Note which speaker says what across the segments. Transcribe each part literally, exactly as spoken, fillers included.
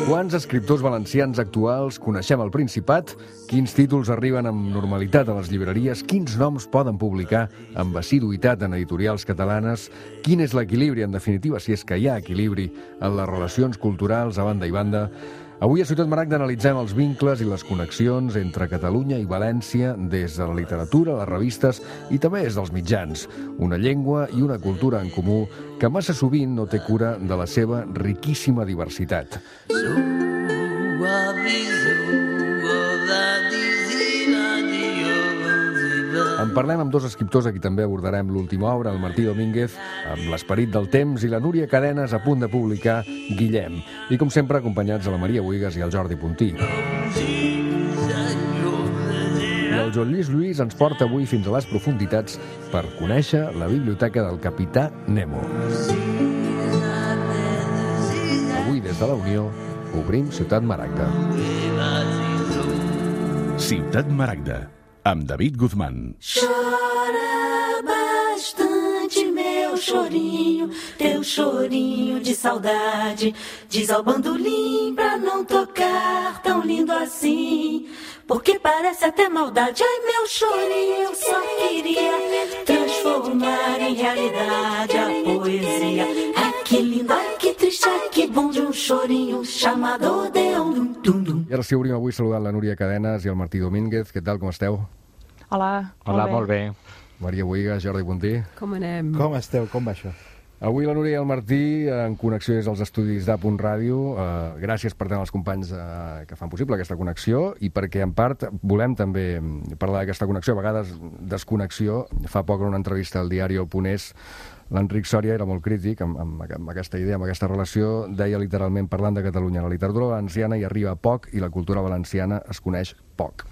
Speaker 1: Quants escriptors valencians actuals coneixem al Principat? Quins títols arriben amb normalitat a les llibreries? Quins noms poden publicar amb assiduïtat en editorials catalanes? Quin és l'equilibri, en definitiva, si és que hi ha equilibri en les relacions culturals a banda i banda? Avui a Ciutat Maragda analitzem els vincles i les connexions entre Catalunya i València des de la literatura, les revistes i també des dels mitjans. Una llengua i una cultura en comú que massa sovint no té cura de la seva riquíssima diversitat. En parlem amb dos escriptors a qui també abordarem l'última obra, el Martí Domínguez, amb l'Esperit del temps, i la Núria Cadenes, a punt de publicar Guillem. I, com sempre, acompanyats a la Maria Buigas i al Jordi Puntí. I el Joan Lluís Lluís ens porta avui fins a les profunditats per conèixer la biblioteca del Capità Nemo. Avui, des de la Unió, obrim Ciutat Maragda.
Speaker 2: Ciutat Maragda, amb David Guzmán.
Speaker 3: Chora bastante, meu chorinho, teu chorinho de saudade. Diz ao bandolim pra não tocar tão lindo assim, porque parece até maldade. Ai, meu chorinho, eu só queria transformar em realidade a poesia. Ai, que lindo, ai, que triste, ai, que bom de um chorinho chamado Odeon. Dum, dum.
Speaker 1: I ara sí, obrim avui saludant la Núria Cadenes i el Martí Domínguez. Què tal, com esteu?
Speaker 4: Hola,
Speaker 5: Hola, molt bé.
Speaker 1: Maria Buigas, Jordi Puntí.
Speaker 4: Com anem?
Speaker 6: Com esteu? Com va això?
Speaker 1: Avui la Núria i el Martí en connexió des dels estudis d'A Punt Ràdio. Uh, gràcies per tant als companys uh, que fan possible aquesta connexió i perquè en part volem també parlar d'aquesta connexió, a vegades desconnexió. Fa poc en una entrevista al diari El Ponés, l'Enric Sòria era molt crític amb, amb, amb aquesta idea, amb aquesta relació. Deia literalment, parlant de Catalunya, la literatura valenciana hi arriba poc i la cultura valenciana es coneix poc.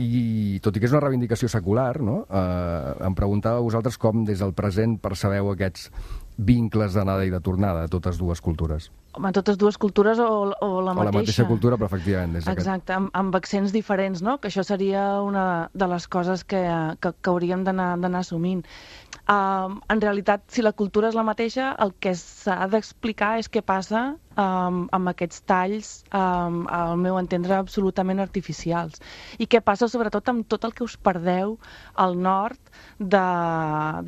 Speaker 1: I tot i que és una reivindicació secular, no? eh, em preguntava a vosaltres com des del present percebeu aquests vincles d'anada i de tornada a totes dues cultures.
Speaker 4: Home, totes dues cultures o, o la mateixa.
Speaker 1: O la mateixa cultura, però efectivament. Des
Speaker 4: Exacte, amb, amb accents diferents, no? Que això seria una de les coses que, que, que hauríem d'anar assumint. Um, en realitat, si la cultura és la mateixa, el que s'ha d'explicar és què passa um, amb aquests talls, um, al meu entendre, absolutament artificials. I què passa, sobretot, amb tot el que us perdeu al nord de,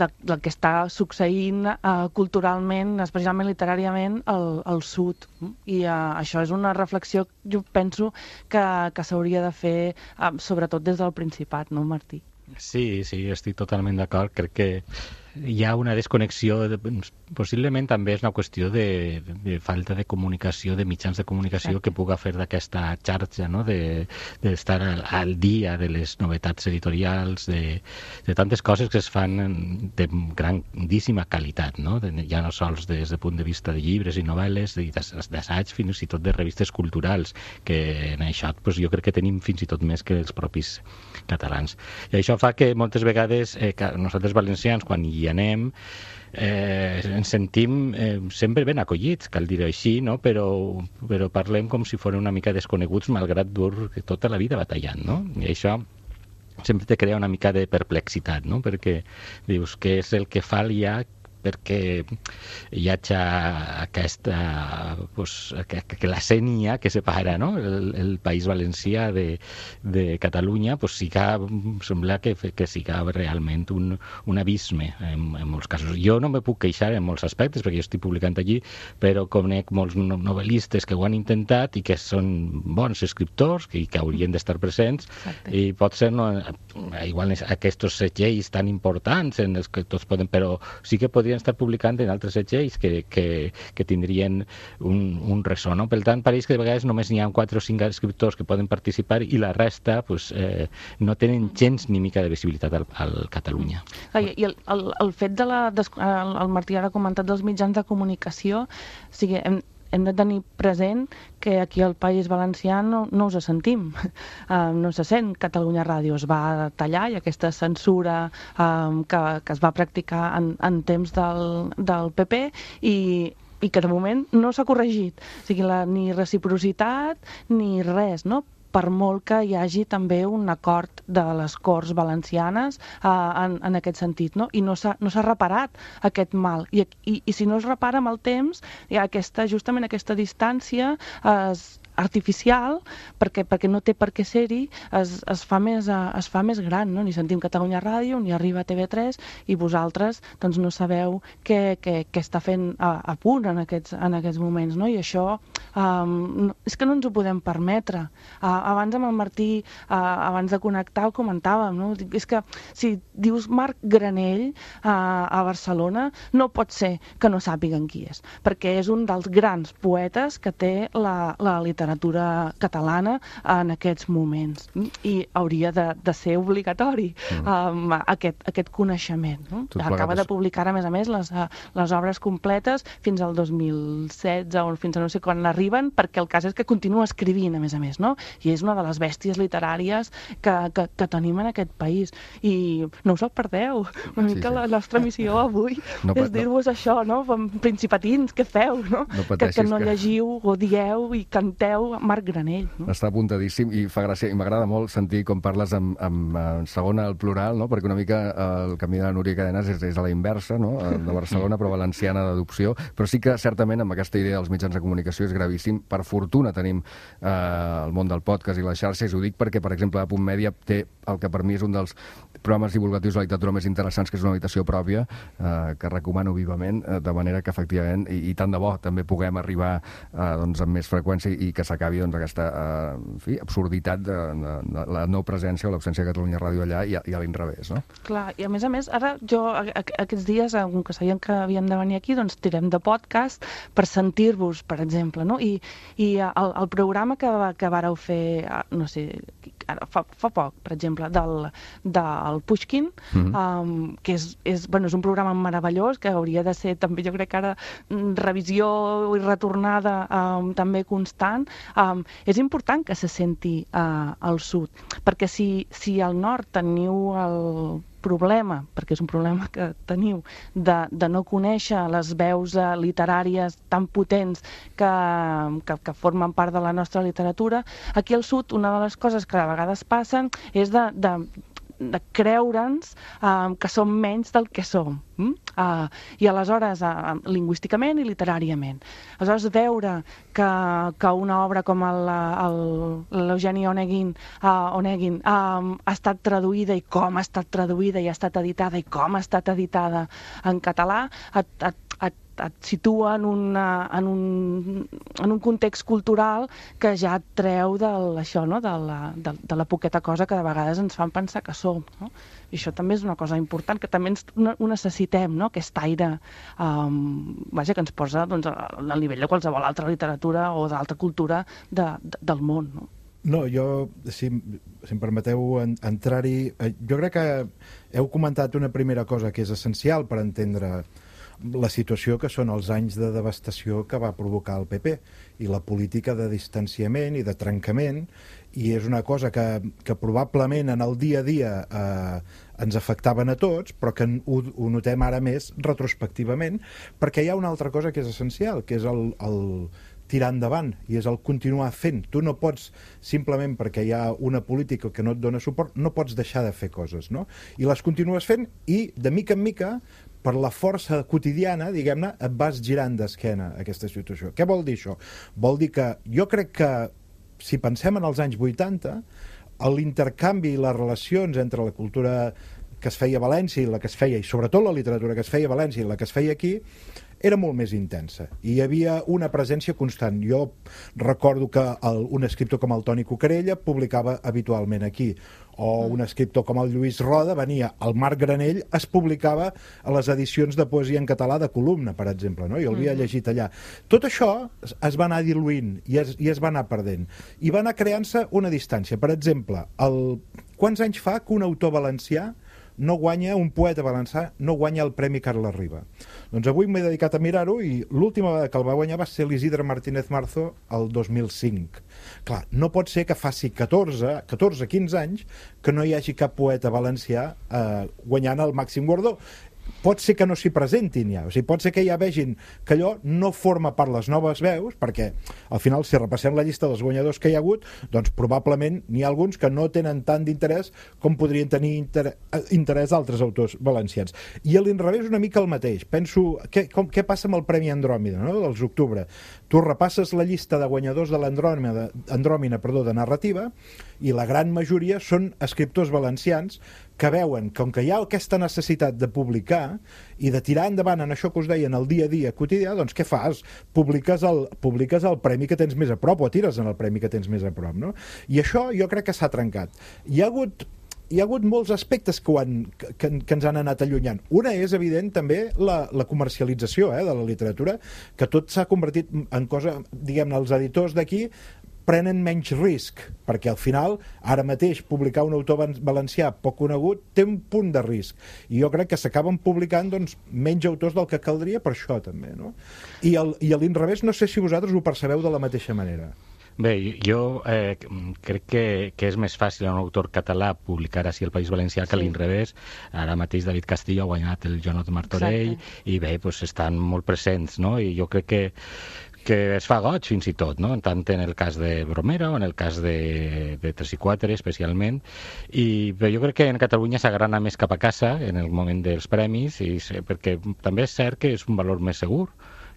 Speaker 4: de, del que està succeint uh, culturalment, especialment literàriament, al, al sud. I uh, això és una reflexió, jo penso, que, que s'hauria de fer, uh, sobretot des del Principat, no, Martí?
Speaker 5: Sí, sí, estic totalment d'acord. Crec que hi ha una desconnexió, de, possiblement també és una qüestió de, de falta de comunicació, de mitjans de comunicació Exacte. Que puga fer d'aquesta xarxa, no? de d'estar al, al dia de les novetats editorials, de, de tantes coses que es fan de grandíssima qualitat, no? De, ja no sols des del punt de vista de llibres i novel·les, d'assaig, fins i tot de revistes culturals, que en això pues, jo crec que tenim fins i tot més que els propis catalans. I això fa que moltes vegades eh, que nosaltres valencians, quan hi anem, eh, ens sentim eh, sempre ben acollits, cal dir-ho així, no? però, però parlem com si foren una mica desconeguts, malgrat dur tota la vida batallant, no? I això sempre te crea una mica de perplexitat, no? Perquè dius, què és el que fa ja perquè hi hagi aquesta, pues, que, que la sènia que separa, no? el, el País Valencià de, de Catalunya, pues, siga, sembla que, que siga realment un, un abisme en, en molts casos. Jo no me puc queixar en molts aspectes perquè jo estic publicant allí, però conec molts novel·listes que ho han intentat i que són bons escriptors i que haurien d'estar presents. Exacte. I pot ser no, igual aquests segells tan importants en els que tots poden, però sí que podrien estar publicant en altres segells que, que, que tindrien un, un ressò, no? Per tant, pareix que de vegades només n'hi ha quatre o cinc escriptors que poden participar i la resta pues, eh, no tenen gens ni mica de visibilitat al, al Catalunya.
Speaker 4: I, i el, el, el fet de la... El, el Martí ara ha comentat dels mitjans de comunicació, o sigui, hem, hem de tenir present que aquí al País Valencià no, no us sentim. Uh, no se sent. Catalunya Ràdio es va tallar i aquesta censura um, que, que es va practicar en, en temps del, del P P i, i que de moment no s'ha corregit. O sigui, la, ni reciprocitat ni res, no? per molt que hi hagi també un acord de les Corts Valencianes eh, en, en aquest sentit, no? I no s'ha no s'ha reparat aquest mal. I, i, I si no es repara amb el temps, hi ha aquesta, justament aquesta distància es artificial, perquè, perquè no té per què ser-hi, es, es, fa més, es fa més gran, no? Ni sentim Catalunya Ràdio, ni arriba a T V tres, i vosaltres doncs, no sabeu què, què, què està fent a, a punt en aquests, en aquests moments, no? I això um, és que no ens ho podem permetre. Uh, abans amb el Martí, uh, abans de connectar, ho comentàvem, no? És que si dius Marc Granell uh, a Barcelona, no pot ser que no sàpiguen qui és, perquè és un dels grans poetes que té la, la literatura literatura catalana en aquests moments, i hauria de, de ser obligatori mm. um, aquest, aquest coneixement, no? Acaba de publicar, a més a més, les, les obres completes fins al dos mil setze o fins a no sé quan arriben, perquè el cas és que continua escrivint, a més a més, no? I és una de les bèsties literàries que, que, que tenim en aquest país, i no us el perdeu. Una mica sí, sí. La nostra missió avui no, és dir-vos no. això, no? Principatins, què feu, no? no que, que no llegiu o dieu i canteu Marc Granell. No?
Speaker 1: Està apuntadíssim i fa gràcia, i m'agrada molt sentir com parles amb, amb, amb segona al plural, no? Perquè una mica el camí de la Núria Cadenas és, és a la inversa, no? De Barcelona, però valenciana d'adopció, però sí que certament amb aquesta idea dels mitjans de comunicació és gravíssim. Per fortuna tenim eh, el món del podcast i les xarxes, i ho dic perquè, per exemple, a Punt Mèdia té el que per mi és un dels programes divulgatius de la literatura més interessants, que és una habitació pròpia, eh, que recomano vivament, eh, de manera que efectivament, i, i tant de bo, també puguem arribar eh, doncs, amb més freqüència i que s'acabi doncs, aquesta eh, en fi, absurditat de, de, de la no presència o l'absència de Catalunya Ràdio allà, i a, i a l'inrevés, no?
Speaker 4: Clar, i a més a més, ara jo a, a, aquests dies, com que sabíem que havien de venir aquí, doncs tirem de podcast per sentir-vos, per exemple, no? I, i el, el programa que, que vàreu fer, no sé, fa, fa poc, per exemple, del, del Pushkin, mm-hmm. um, que és, és, bueno, és un programa meravellós, que hauria de ser també, jo crec que ara, revisió i retornada um, també constant. Um, és important que se senti uh, al sud, perquè si, si al nord teniu el problema, perquè és un problema que teniu, de, de no conèixer les veus uh, literàries tan potents que, que, que formen part de la nostra literatura, aquí al sud una de les coses que a vegades passen és de, de de creure'ns uh, que som menys del que som. Mm? Uh, I aleshores, uh, lingüísticament i literàriament. Aleshores, veure que, que una obra com l'Eugeni Onegin, uh, Onegin um, ha estat traduïda, i com ha estat traduïda, i ha estat editada, i com ha estat editada en català, et, et, et et situa en, una, en, un, en un context cultural que ja et treu del, això, no? de, la, de, de la poqueta cosa que de vegades ens fan pensar que som. No? I això també és una cosa important, que també ens, ho necessitem, no? Aquest aire um, vaja, que ens posa doncs, al nivell de qualsevol altra literatura o d'altra cultura de, de, del món. No?
Speaker 6: No, jo, si, si em permeteu en, entrar-hi, jo crec que heu comentat una primera cosa que és essencial per entendre la situació, que són els anys de devastació que va provocar el P P i la política de distanciament i de trencament, i és una cosa que, que probablement en el dia a dia eh, ens afectaven a tots, però que ho, ho notem ara més retrospectivament, perquè hi ha una altra cosa que és essencial, que és el, el tirar endavant, i és el continuar fent. Tu no pots, simplement perquè hi ha una política que no et dona suport, no pots deixar de fer coses, no? I les continues fent, i de mica en mica, per la força quotidiana, diguem-ne, et vas girant d'esquena a aquesta situació. Què vol dir això? Vol dir que jo crec que, si pensem en els anys vuitanta, l'intercanvi i les relacions entre la cultura que es feia a València i la que es feia, i sobretot la literatura que es feia a València i la que es feia aquí, era molt més intensa, i hi havia una presència constant. Jo recordo que el, un escriptor com el Toni Cucarella publicava habitualment aquí, o un escriptor com el Lluís Roda venia. El Marc Granell es publicava a les edicions de poesia en català de Columna, per exemple, no? I el havia llegit allà. Tot això es va anar diluint i es, i es va anar perdent, i va anar creant-se una distància. Per exemple, el... quants anys fa que un autor valencià no guanya, un poeta valencià no guanya el Premi Carles Riba? Doncs avui m'he dedicat a mirar-ho, i l'última vegada que el va guanyar va ser l'Isidre Martínez Marzo el dos mil cinc. Clar, no pot ser que faci catorze, catorze quinze anys que no hi hagi cap poeta valencià eh, guanyant el màxim guardó. pot ser que no s'hi presentin ja, o sigui, pot ser que ja vegin que allò no forma part les noves veus, perquè al final si repassem la llista dels guanyadors que hi ha hagut, doncs probablement n'hi ha alguns que no tenen tant d'interès com podrien tenir inter interès altres autors valencians. I a l'inrevés una mica el mateix. Penso, què, com, què passa amb el Premi Andròmina, no?, dels octubre? Tu repasses la llista de guanyadors de l'Andròmina, Andròmina, perdó, de narrativa, i la gran majoria són escriptors valencians que veuen, com que hi ha aquesta necessitat de publicar i de tirar endavant en això que us deia, en el dia a dia quotidià, doncs què fas? Publiques el, publiques el premi que tens més a prop, o tires en el premi que tens més a prop, no? I això jo crec que s'ha trencat. Hi ha hagut hi ha hagut molts aspectes que, ho han, que, que ens han anat allunyant. Una és, evident, també la, la comercialització eh, de la literatura, que tot s'ha convertit en cosa, diguem-ne, els editors d'aquí prenen menys risc, perquè al final, ara mateix, publicar un autor valencià poc conegut té un punt de risc. I jo crec que s'acaben publicant doncs, menys autors del que caldria per això, també, no? I, el, i a l'inrevés, no sé si vosaltres ho percebeu de la mateixa manera.
Speaker 5: Bé, jo eh, crec que, que és més fàcil a un autor català publicar així al País Valencià que sí. A l'inrevés. Ara mateix David Castillo ha guanyat el Jonot Martorell. Exacte. I bé, doncs estan molt presents, no? I jo crec que que es fa goig fins i tot, no? Tant en el cas de Bromera o en el cas de, de tres i quatre especialment, i bé, jo crec que en Catalunya s'agrana més cap a casa en el moment dels premis, i, perquè també és cert que és un valor més segur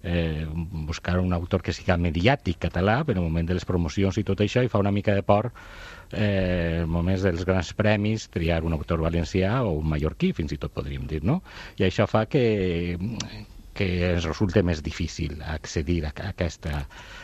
Speaker 5: eh, buscar un autor que siga mediàtic català, però en el moment de les promocions i tot això, i fa una mica de por eh, en moments dels grans premis triar un autor valencià o un mallorquí, fins i tot podríem dir, no? I això fa que que ens resulta més difícil accedir a aquesta,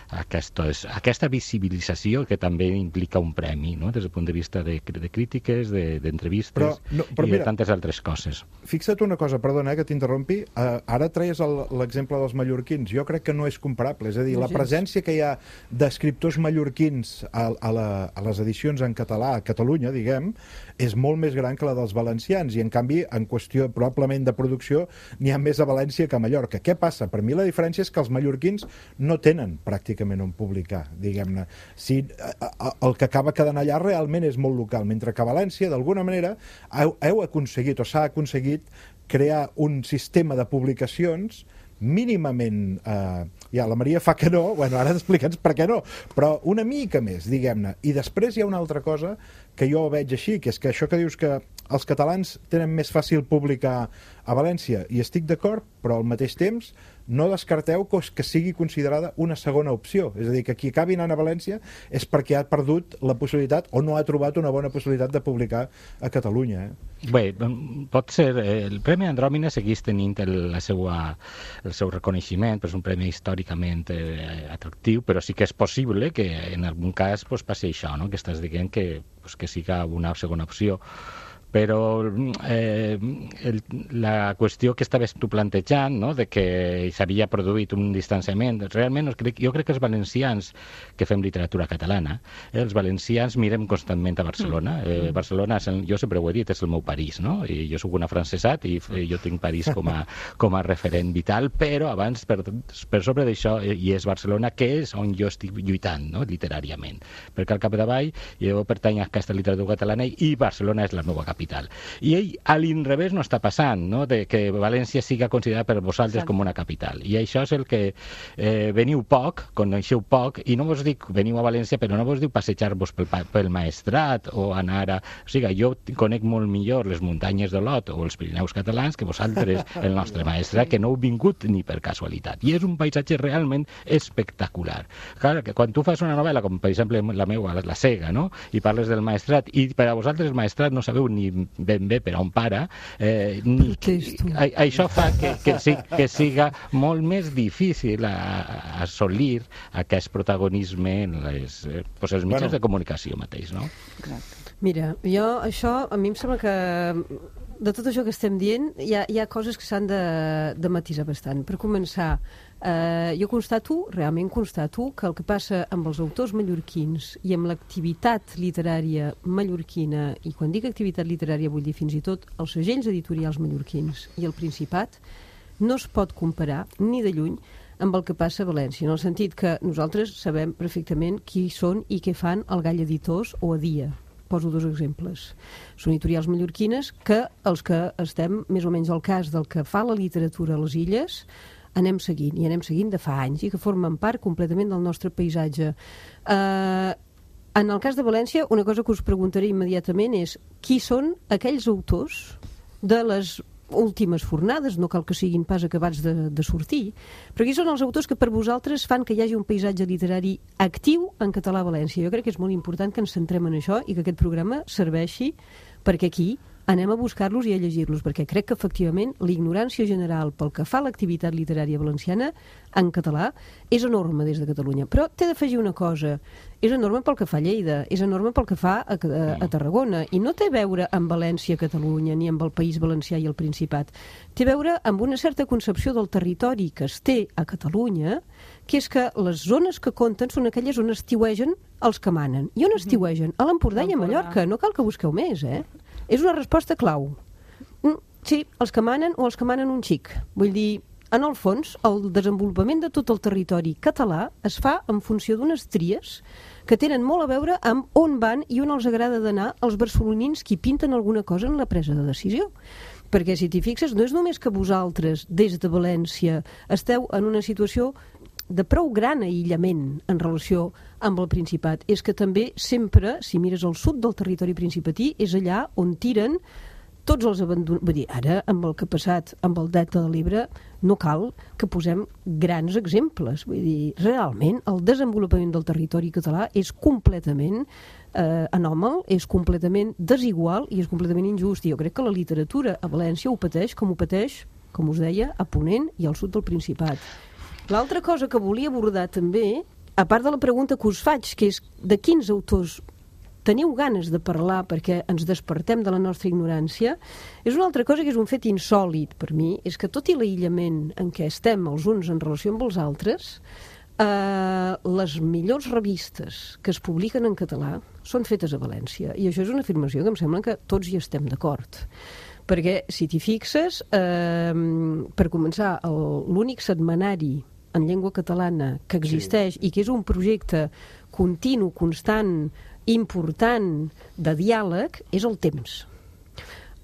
Speaker 5: a aquestes, a aquesta visibilització que també implica un premi, no? Des del punt de vista de, de crítiques, d'entrevistes de, no, i mira, de tantes altres coses.
Speaker 6: Fixa't una cosa, perdona eh, que t'interrompi, uh, ara treies l'exemple dels mallorquins, jo crec que no és comparable, és a dir, no, la presència que hi ha d'escriptors mallorquins a, a, la, a les edicions en català a Catalunya, diguem, és molt més gran que la dels valencians, i en canvi, en qüestió probablement de producció, n'hi ha més a València que a Mallorca. Què passa? Per mi la diferència és que els mallorquins no tenen pràcticament on publicar, diguem-ne. Si, el que acaba quedant allà realment és molt local, mentre que a València, d'alguna manera, heu, heu aconseguit o s'ha aconseguit crear un sistema de publicacions mínimament... Eh, ja, la Maria fa que no, bueno, ara explica'ns per què no, però una mica més, diguem-ne. I després hi ha una altra cosa que jo veig així, que és que això que dius que els catalans tenen més fàcil publicar a València, i estic d'acord, però al mateix temps no descarteu que sigui considerada una segona opció. És a dir, que qui acabi anant a València és perquè ha perdut la possibilitat o no ha trobat una bona possibilitat de publicar a Catalunya. Eh?
Speaker 5: Bé, pot ser... El Premi Andròmina segueix tenint el, la seva, el seu reconeixement, però és un premi històricament eh, atractiu, però sí que és possible que en algun cas pues, passi això, no? Que estàs dient que, pues, que siga una segona opció. Però eh, el, la qüestió que estaves tu plantejant, no?, de que s'havia produït un distanciament, realment crec, jo crec que els valencians que fem literatura catalana, eh, els valencians mirem constantment a Barcelona. Eh, Barcelona, és el, jo sempre ho he dit, és el meu París, no? I jo soc un afrancesat i eh, jo tinc París com a, com a referent vital, però abans, per, per sobre d'això, eh, i és Barcelona, que és on jo estic lluitant, no?, literàriament. Perquè al capdavall jo pertany a aquesta literatura catalana i Barcelona és la meva capital. I ell, a l'inrevés, no està passant, no?, de que València siga considerada per vosaltres sí. com una capital. I això és el que eh, veniu poc, coneixeu poc, i no vos dic veniu a València, però no vos diu passejar-vos pel, pel Maestrat o anar a... O sigui, jo conec molt millor les muntanyes de l'Ot o els Pirineus catalans que vosaltres, el nostre Maestrat, que no heu vingut ni per casualitat. I és un paisatge realment espectacular. Clar, que quan tu fas una novel·la, com per exemple la meva, La Cega, no?, i parles del Maestrat, i per a vosaltres el Maestrat no sabeu ni ben bé per on para, eh, ni, a, això fa que, que, sí, que siga molt més difícil a, a assolir aquest protagonisme en les, eh, pues els mitjans bueno. de comunicació mateix, no?
Speaker 7: Exacte. Mira, jo això, a mi em sembla que de tot això que estem dient hi ha, hi ha coses que s'han de, de matisar bastant. Per començar, eh, jo constato, realment constato, que el que passa amb els autors mallorquins i amb l'activitat literària mallorquina, i quan dic activitat literària vull dir fins i tot els segells editorials mallorquins i el Principat, no es pot comparar ni de lluny amb el que passa a València, en el sentit que nosaltres sabem perfectament qui són i què fan el Gall Editors o a Dia. poso dos exemples. Són editorials mallorquines que els que estem més o menys al cas del que fa la literatura a les illes anem seguint, i anem seguint de fa anys, i que formen part completament del nostre paisatge. Eh, en el cas de València, una cosa que us preguntaré immediatament és qui són aquells autors de les últimes fornades, no cal que siguin pas acabats de, de sortir, però qui són els autors que per vosaltres fan que hi hagi un paisatge literari actiu en català a València? Jo crec que és molt important que ens centrem en això i que aquest programa serveixi perquè aquí anem a buscar-los i a llegir-los, perquè crec que efectivament l'ignorància general pel que fa a l'activitat literària valenciana en català és enorme des de Catalunya. Però t'he d'afegir una cosa, és enorme pel que fa a Lleida, és enorme pel que fa a, a, a Tarragona, i no té a veure amb València, Catalunya, ni amb el País Valencià i el Principat. Té a veure amb una certa concepció del territori que es té a Catalunya, que és que les zones que compten són aquelles on estiuegen els que manen. I on estiuegen? A l'Empordà i a Mallorca. No cal que busqueu més, eh? És una resposta clau. Sí, els que manen o els que manen un xic. Vull dir, en el fons, el desenvolupament de tot el territori català es fa en funció d'unes tries que tenen molt a veure amb on van i on els agrada d'anar els barcelonins qui pinten alguna cosa en la presa de decisió. Perquè, si t'hi fixes, no és només que vosaltres, des de València, esteu en una situació de prou gran aïllament en relació amb el Principat. És que també sempre, si mires al sud del territori principatí, és allà on tiren tots els abandonats. Vull dir, ara, amb el que ha passat amb el Delta de l'Ebre, no cal que posem grans exemples. Vull dir, realment, el desenvolupament del territori català és completament eh, anòmal, és completament desigual i és completament injust. I jo crec que la literatura a València ho pateix com ho pateix, com us deia, a Ponent i al sud del Principat. L'altra cosa que volia abordar també, a part de la pregunta que us faig, que és de quins autors teniu ganes de parlar perquè ens despertem de la nostra ignorància, és una altra cosa que és un fet insòlit per mi, és que tot i l'aïllament en què estem els uns en relació amb els altres, eh, les millors revistes que es publiquen en català són fetes a València. I això és una afirmació que em sembla que tots hi estem d'acord. Perquè, si t'hi fixes, eh, per començar, l'únic setmanari en llengua catalana que existeix, sí, i que és un projecte continu, constant, important, de diàleg, és el Temps.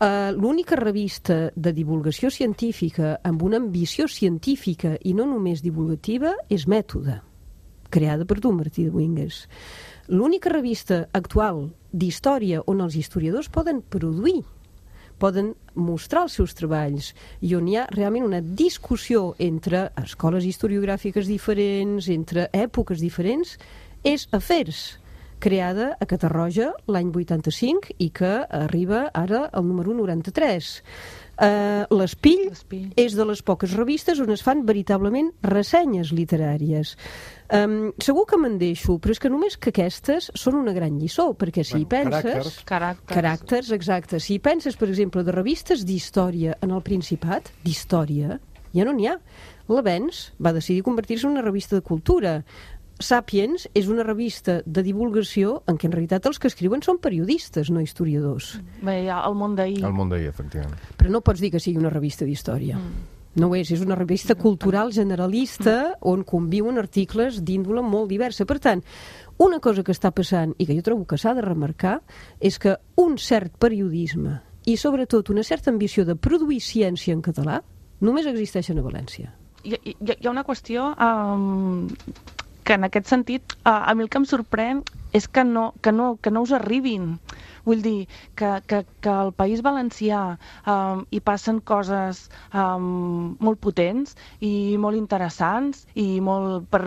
Speaker 7: Uh, l'única revista de divulgació científica amb una ambició científica i no només divulgativa és Mètode, creada per tu, Martí de Wingues. L'única revista actual d'història on els historiadors poden produir, poden mostrar els seus treballs i on hi ha realment una discussió entre escoles historiogràfiques diferents, entre èpoques diferents, és Afers, creada a Catarroja l'any vuitanta-cinc i que arriba ara al número noranta-tres. Uh, L'Espill és de les poques revistes on es fan veritablement ressenyes literàries. Um, segur que me'n deixo, però és que només que aquestes són una gran lliçó, perquè si bueno, hi penses...
Speaker 6: Caràcters.
Speaker 4: Caràcters.
Speaker 7: Caràcters, exacte. Si hi penses, per exemple, de revistes d'història en el Principat, d'història, ja no n'hi ha. L'Avenç va decidir convertir-se en una revista de cultura. Sàpiens és una revista de divulgació en què en realitat els que escriuen són periodistes, no historiadors.
Speaker 4: Bé, hi ha El Món d'ahir.
Speaker 1: El Món d'ahir, efectivament.
Speaker 7: Però no pots dir que sigui una revista d'història. Mm. No ho és, és una revista cultural generalista on conviuen articles d'índole molt diversa. Per tant, una cosa que està passant i que jo trobo que s'ha de remarcar és que un cert periodisme i sobretot una certa ambició de produir ciència en català només existeixen a València.
Speaker 4: Hi, hi, hi ha una qüestió um, que en aquest sentit uh, a mi el que em sorprèn és que no, que no, que no us arribin. Vull dir que, que, que al País Valencià um, hi passen coses um, molt potents i molt interessants i molt per,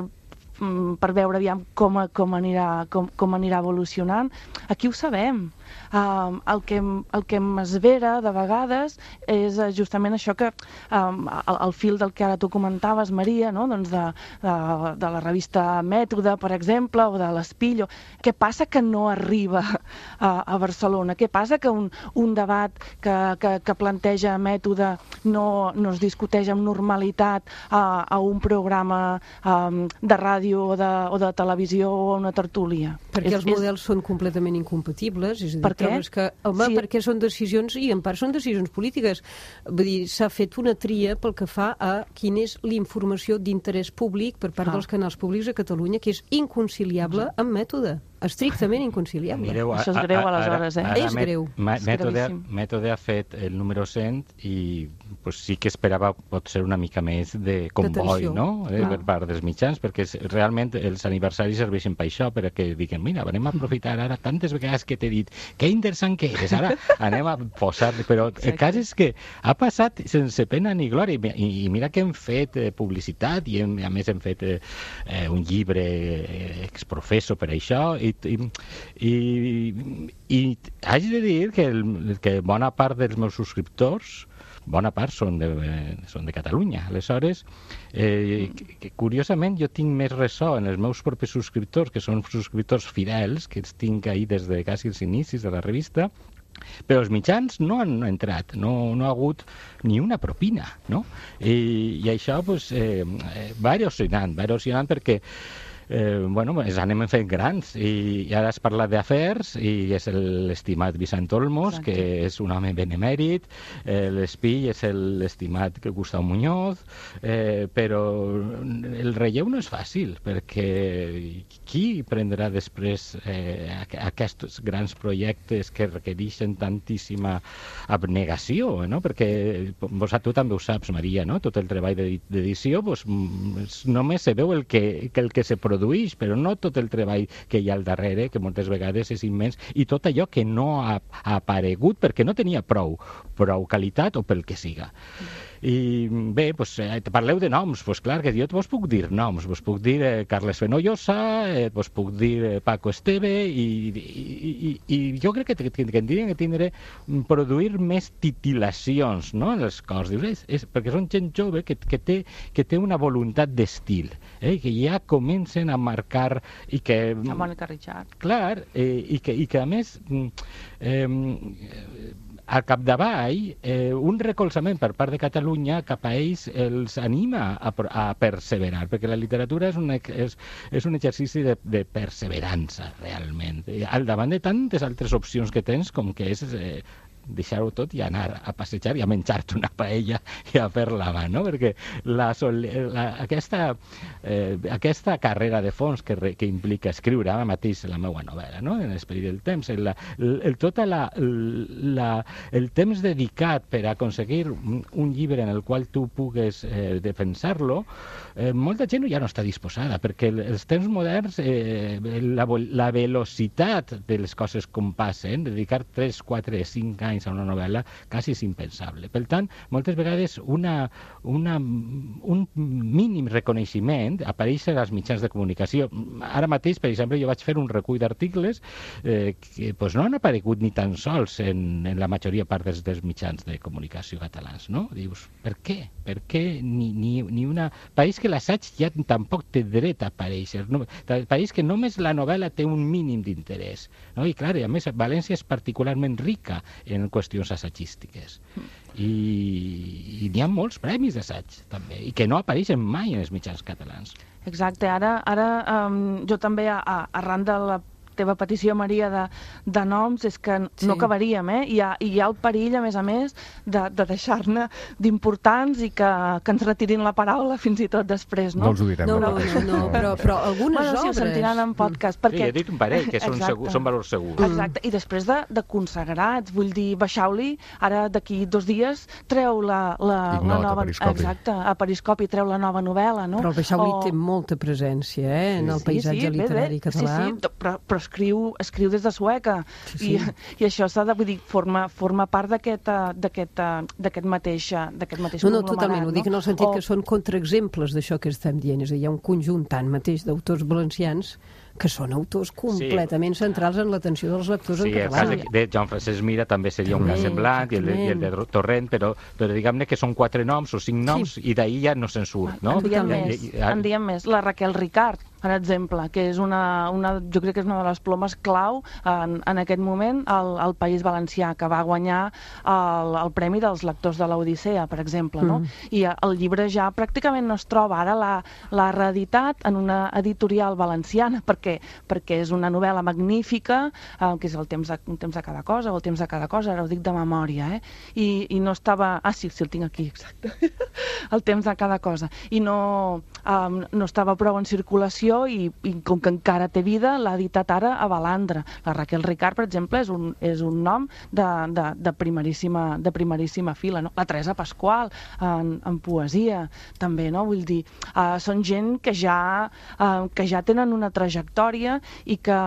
Speaker 4: um, per veure aviam com, com, anirà, com, com anirà evolucionant. Aquí ho sabem. Um, el, que, el que m'esvera de vegades és justament això que um, el, el fil del que ara tu comentaves, Maria, no? doncs de, de, de la revista Mètode, per exemple, o de l'Espill. Què passa que no arriba a, a Barcelona? Què passa que un, un debat que, que, que planteja Mètode no, no es discuteix amb normalitat a, a un programa um, de ràdio o de, o de televisió o una tertúlia?
Speaker 7: Perquè
Speaker 4: és,
Speaker 7: els models és... són completament incompatibles, és a dir,
Speaker 4: per què?
Speaker 7: Que, home, sí. Perquè són decisions, i en part són decisions polítiques. Vull dir, s'ha fet una tria pel que fa a quina és l'informació d'interès públic per part ah. dels canals públics a Catalunya, que és inconciliable amb Mètode. estrictament inconciliable.
Speaker 5: Mireu,
Speaker 4: Això és greu, aleshores, eh?
Speaker 7: És greu.
Speaker 5: Mètode,
Speaker 4: gravíssim.
Speaker 5: mètode ha fet el número cent i pues, sí que esperava potser una mica més de comboi,
Speaker 7: D'atenció.
Speaker 5: no? Eh,
Speaker 4: Clar.
Speaker 5: per part dels mitjans, perquè és- realment els aniversaris serveixen per això, perquè diguen, mira, anem a aprofitar ara tantes vegades que t'he dit que interessant que eres, ara anem a posar... Però el cas és que ha passat sense pena ni glòria, i, i mira que hem fet eh, publicitat, i hem, a més hem fet eh, eh, un llibre eh, exprofesso per això, i, i, i, i haig de dir que, el, que bona part dels meus subscriptors bona part són de, eh, són de Catalunya. Aleshores, eh, que, que, curiosament, jo tinc més ressò en els meus propis subscriptors, que són subscriptors fidels, que els tinc ahir des de quasi els inicis de la revista, però els mitjans no han entrat, no, no ha hagut ni una propina, no? I, i això pues, eh, va erosionant, va erosionant perquè Eh, bueno, ens anem fent grans i, i ara has parlat d'afers i és l'estimat Vicent Olmos,
Speaker 4: Exacte.
Speaker 5: que és un home benemèrit, eh, l'espill és l'estimat Gustau Muñoz, eh, però el relleu no és fàcil, perquè qui prendrà després eh, aqu- aquests grans projectes que requereixen tantíssima abnegació, no? Perquè vos, tu també ho saps, Maria, no? Tot el treball d'edi- d'edició pues, mm, és- només se veu el que, que el que se produeix, però no tot el treball que hi ha al darrere, que moltes vegades és immens, i tot allò que no ha, ha aparegut perquè no tenia prou, prou qualitat o pel que siga. I bé, doncs, eh, parleu de noms, doncs clar que jo vos puc dir noms, vos puc dir eh, Carles Fenollosa, eh, vos puc dir eh, Paco Esteve, i, i, i, i jo crec que, que, que tindrien que tindre, produir més titilacions, no?, en els cors, dius, és, és, perquè són gent jove que, que, té, que té una voluntat d'estil, eh, que ja comencen a marcar i que...
Speaker 4: La Mònica Richard.
Speaker 5: Clar, eh, i, que, i que a més mm, eh, al capdavall eh, un recolzament per part de Catalunya cap a ells els anima a, pro- a perseverar, perquè la literatura és un, ex- és, és un exercici de, de perseverança realment, I al davant de tantes altres opcions que tens com que és eh, deixar-ho tot i anar a passejar i a menjar-te una paella i a fer la mà, no? Perquè la, sol- la, aquesta, eh, aquesta carrera de fons que, re, que implica escriure ara mateix la meva novel·la, no? En l'esperit del temps, el, el, el, tota la, la, el temps dedicat per aconseguir un, un llibre en el qual tu pugues eh, defensar-lo, eh, molta gent ja no està disposada, perquè el, els temps moderns, eh, la, vo- la velocitat de les coses com passen, dedicar tres, quatre, cinc anys a una novel·la quasi és impensable. Per tant, moltes vegades una, una, un mínim reconeixement apareix als mitjans de comunicació. Ara mateix, per exemple, jo vaig fer un recull d'articles eh, que pues, no han aparegut ni tan sols en, en la majoria part dels, dels mitjans de comunicació catalans, no? Dius, per què? Per què ni, ni, ni una... Pareix que l'assaig ja tampoc té dret a aparèixer. No? Pareix que només la novel·la té un mínim d'interès. No? I clar, a més, València és particularment rica en qüestions assagístiques. I, i n'hi ha molts premis d'assaig, també, i que no apareixen mai en els mitjans catalans.
Speaker 4: Exacte, ara, ara um, jo també, a, a, arran de la teva petició, Maria, de, de noms, és que
Speaker 7: Sí.
Speaker 4: no acabaríem, eh? Hi ha, hi ha el perill, a més a més, de, de deixar-ne d'importants i que, que ens retirin la paraula fins i tot després, no?
Speaker 1: No els ho direm.
Speaker 7: No, no,
Speaker 1: però-
Speaker 7: no, no, però, però algunes
Speaker 4: Bueno, sí, ho
Speaker 7: obres...
Speaker 4: sentiran en podcast,
Speaker 5: Sí,
Speaker 4: perquè...
Speaker 5: he dit un parell, que són,
Speaker 4: Exacte.
Speaker 5: segur, són valors segurs.
Speaker 4: Exacte, i després de, de consagrats, vull dir, baixau-li, ara d'aquí dos dies treu la, la,
Speaker 1: Ignot,
Speaker 4: la
Speaker 1: a
Speaker 4: nova...
Speaker 1: Periscopi.
Speaker 4: Exacte, a Periscopi treu la nova novel·la, no?
Speaker 7: Però el Beixauli
Speaker 4: O-
Speaker 7: té molta presència eh, en el paisatge
Speaker 4: bé, bé.
Speaker 7: literari català.
Speaker 4: Sí, sí, però, però escriu, escriu des de Sueca.
Speaker 7: Sí, sí.
Speaker 4: I, I això s'ha de, vull dir, forma, forma part d'aquest eh, d'aquest eh, d'aquest mateix, eh, d'aquest mateix
Speaker 7: No, no,
Speaker 4: conglomerat,
Speaker 7: totalment. Ho dic en el sentit
Speaker 4: O-
Speaker 7: que són contraexemples d'això que estem dient. És a dir, hi ha un conjunt tant mateix d'autors valencians que són autors completament centrals en l'atenció dels lectors
Speaker 5: Sí,
Speaker 7: en
Speaker 5: el
Speaker 7: català.
Speaker 5: cas de, de Joan Francesc Mira també seria un
Speaker 7: També,
Speaker 5: cas semblant, i el, de- i el de Torrent, però, però diguem-ne que són quatre noms o cinc noms, i d'ahir ja no se'n surt, no?
Speaker 4: En diem,
Speaker 7: Totalment.
Speaker 4: més,
Speaker 5: I- i-
Speaker 4: en diem més. La Raquel Ricard, per exemple, que és una, una, jo crec que és una de les plomes clau en, en aquest moment al, al País Valencià, que va guanyar el, el Premi dels Lectors de l'Odissea, per exemple, no?
Speaker 7: Mm.
Speaker 4: I el llibre ja pràcticament no es troba. Ara l'ha l'ha reeditat en una editorial valenciana, per perquè, perquè és una novel·la magnífica, eh, que és el temps de, un temps de cada cosa, o el temps de cada cosa, ara ho dic de memòria, eh? I, i no estava... Ah, sí, sí, el tinc aquí, exacte. El temps de cada cosa. I no, um, no estava prou en circulació i, i com que encara té vida, l'ha editat ara a Balandra. La Raquel Ricart, per exemple, és un, és un nom de, de, de, primeríssima, de primeríssima fila, no? La Teresa Pasqual, en, en poesia, també, no? Vull dir, uh, són gent que ja, uh, que ja tenen una trajectòria i que,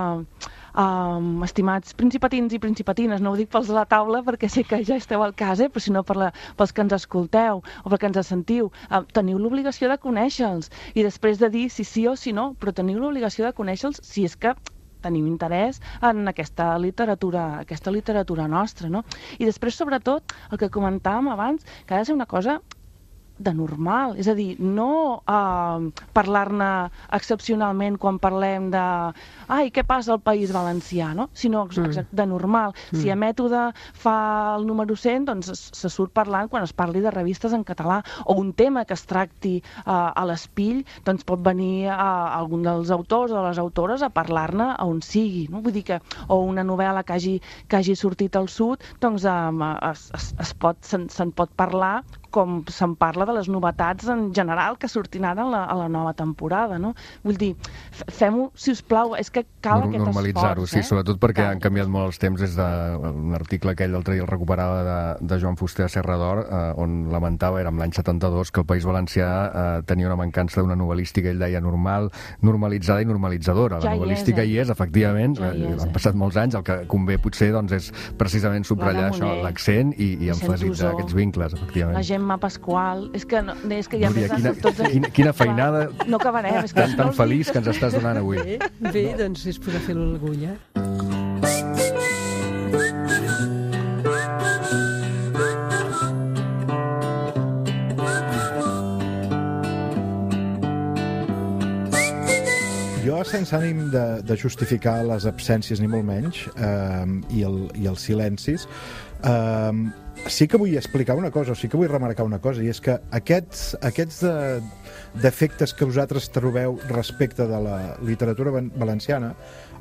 Speaker 4: um, estimats principatins i principatines, no ho dic pels de la taula perquè sé que ja esteu al cas, eh? Però sinó per la, pels que ens escolteu o perquè ens sentiu, uh, teniu l'obligació de conèixer-los i després de dir si sí o si no, però teniu l'obligació de conèixer-los si és que tenim interès en aquesta literatura, aquesta literatura nostra, no? I després, sobretot, el que comentàvem abans, que ha de ser una cosa de normal, és a dir, no eh, parlar-ne excepcionalment quan parlem de ai, què passa al País Valencià, no? Sinó mm. de normal. Mm. Si a Mètode fa el número cent, doncs se surt parlant quan es parli de revistes en català, o un tema que es tracti eh, a l'Espill, doncs pot venir eh, algun dels autors o les autores a parlar-ne a on sigui, no? Vull dir que, o una novel·la que hagi, que hagi sortit al sud, doncs eh, es, es, es pot, se'n, se'n pot parlar com se'n parla de les novetats en general que sortin ara a la, a la nova temporada, no? Vull dir, fem-ho, si us plau, és que cal
Speaker 1: Norm,
Speaker 4: aquest esforç,
Speaker 1: normalitzar-ho, sí,
Speaker 4: eh?
Speaker 1: sobretot perquè
Speaker 4: cal.
Speaker 1: Han canviat molt els temps des d'un article aquell l'altre dia el recuperava de, de Joan Fuster a Serra d'Or, eh, on lamentava, era amb l'any setanta-dos, que el País Valencià eh, tenia una mancança d'una novel·lística, ell deia normal, normalitzada i normalitzadora. La
Speaker 4: ja
Speaker 1: novel·lística hi és, hi és efectivament, ja hi és, han passat molts anys, el que convé potser doncs, és precisament subratllar això, l'accent i, i emfasitzar aquests vincles, efectivament.
Speaker 4: La Gemma Pasqual, és que, no, és que ja
Speaker 1: Núria,
Speaker 4: més
Speaker 1: quina,
Speaker 4: tots...
Speaker 1: quina, quina feinada
Speaker 4: no acabarem, és que
Speaker 1: tan, tan feliç que ens estàs donant avui.
Speaker 7: Bé, bé, doncs és posar fil a l'agulla.
Speaker 6: Jo, sense ànim de, de justificar les absències ni molt menys, eh, i, el, i els silencis, eh, sí que vull explicar una cosa, o sí que vull remarcar una cosa, i és que aquests, aquests de, defectes que vosaltres trobeu respecte de la literatura valenciana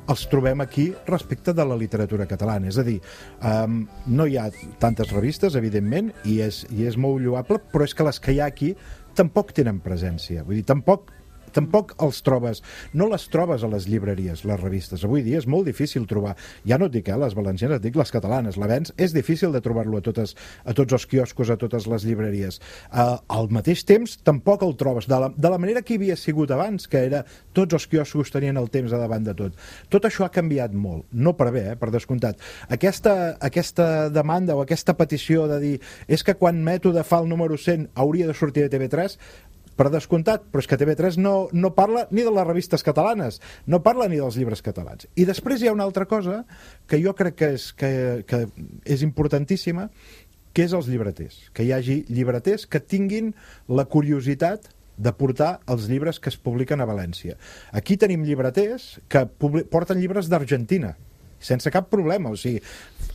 Speaker 6: els trobem aquí respecte de la literatura catalana. És a dir, um, no hi ha tantes revistes, evidentment, i és, i és molt lloable, però és que les que hi ha aquí tampoc tenen presència. Vull dir, tampoc tampoc els trobes, no les trobes a les llibreries, les revistes. Avui dia és molt difícil trobar, ja no et dic, eh, les valencianes, et dic les catalanes, l'avenç és difícil de trobar-lo a, totes, a tots els quioscos, a totes les llibreries. Uh, al mateix temps, tampoc el trobes, de la, de la manera que hi havia sigut abans, que era tots els quioscos tenien el temps a davant de tot. Tot això ha canviat molt, no per bé, eh, per descomptat. Aquesta, aquesta demanda o aquesta petició de dir és que quan Mètode fa el número cent hauria de sortir de T V tres, per descomptat, però és que T V tres no, no parla ni de les revistes catalanes, no parla ni dels llibres catalans. I després hi ha una altra cosa que jo crec que és, que, que és importantíssima, que és els llibreters. Que hi hagi llibreters que tinguin la curiositat de portar els llibres que es publiquen a València. Aquí tenim llibreters que porten llibres d'Argentina, sense cap problema, o sigui,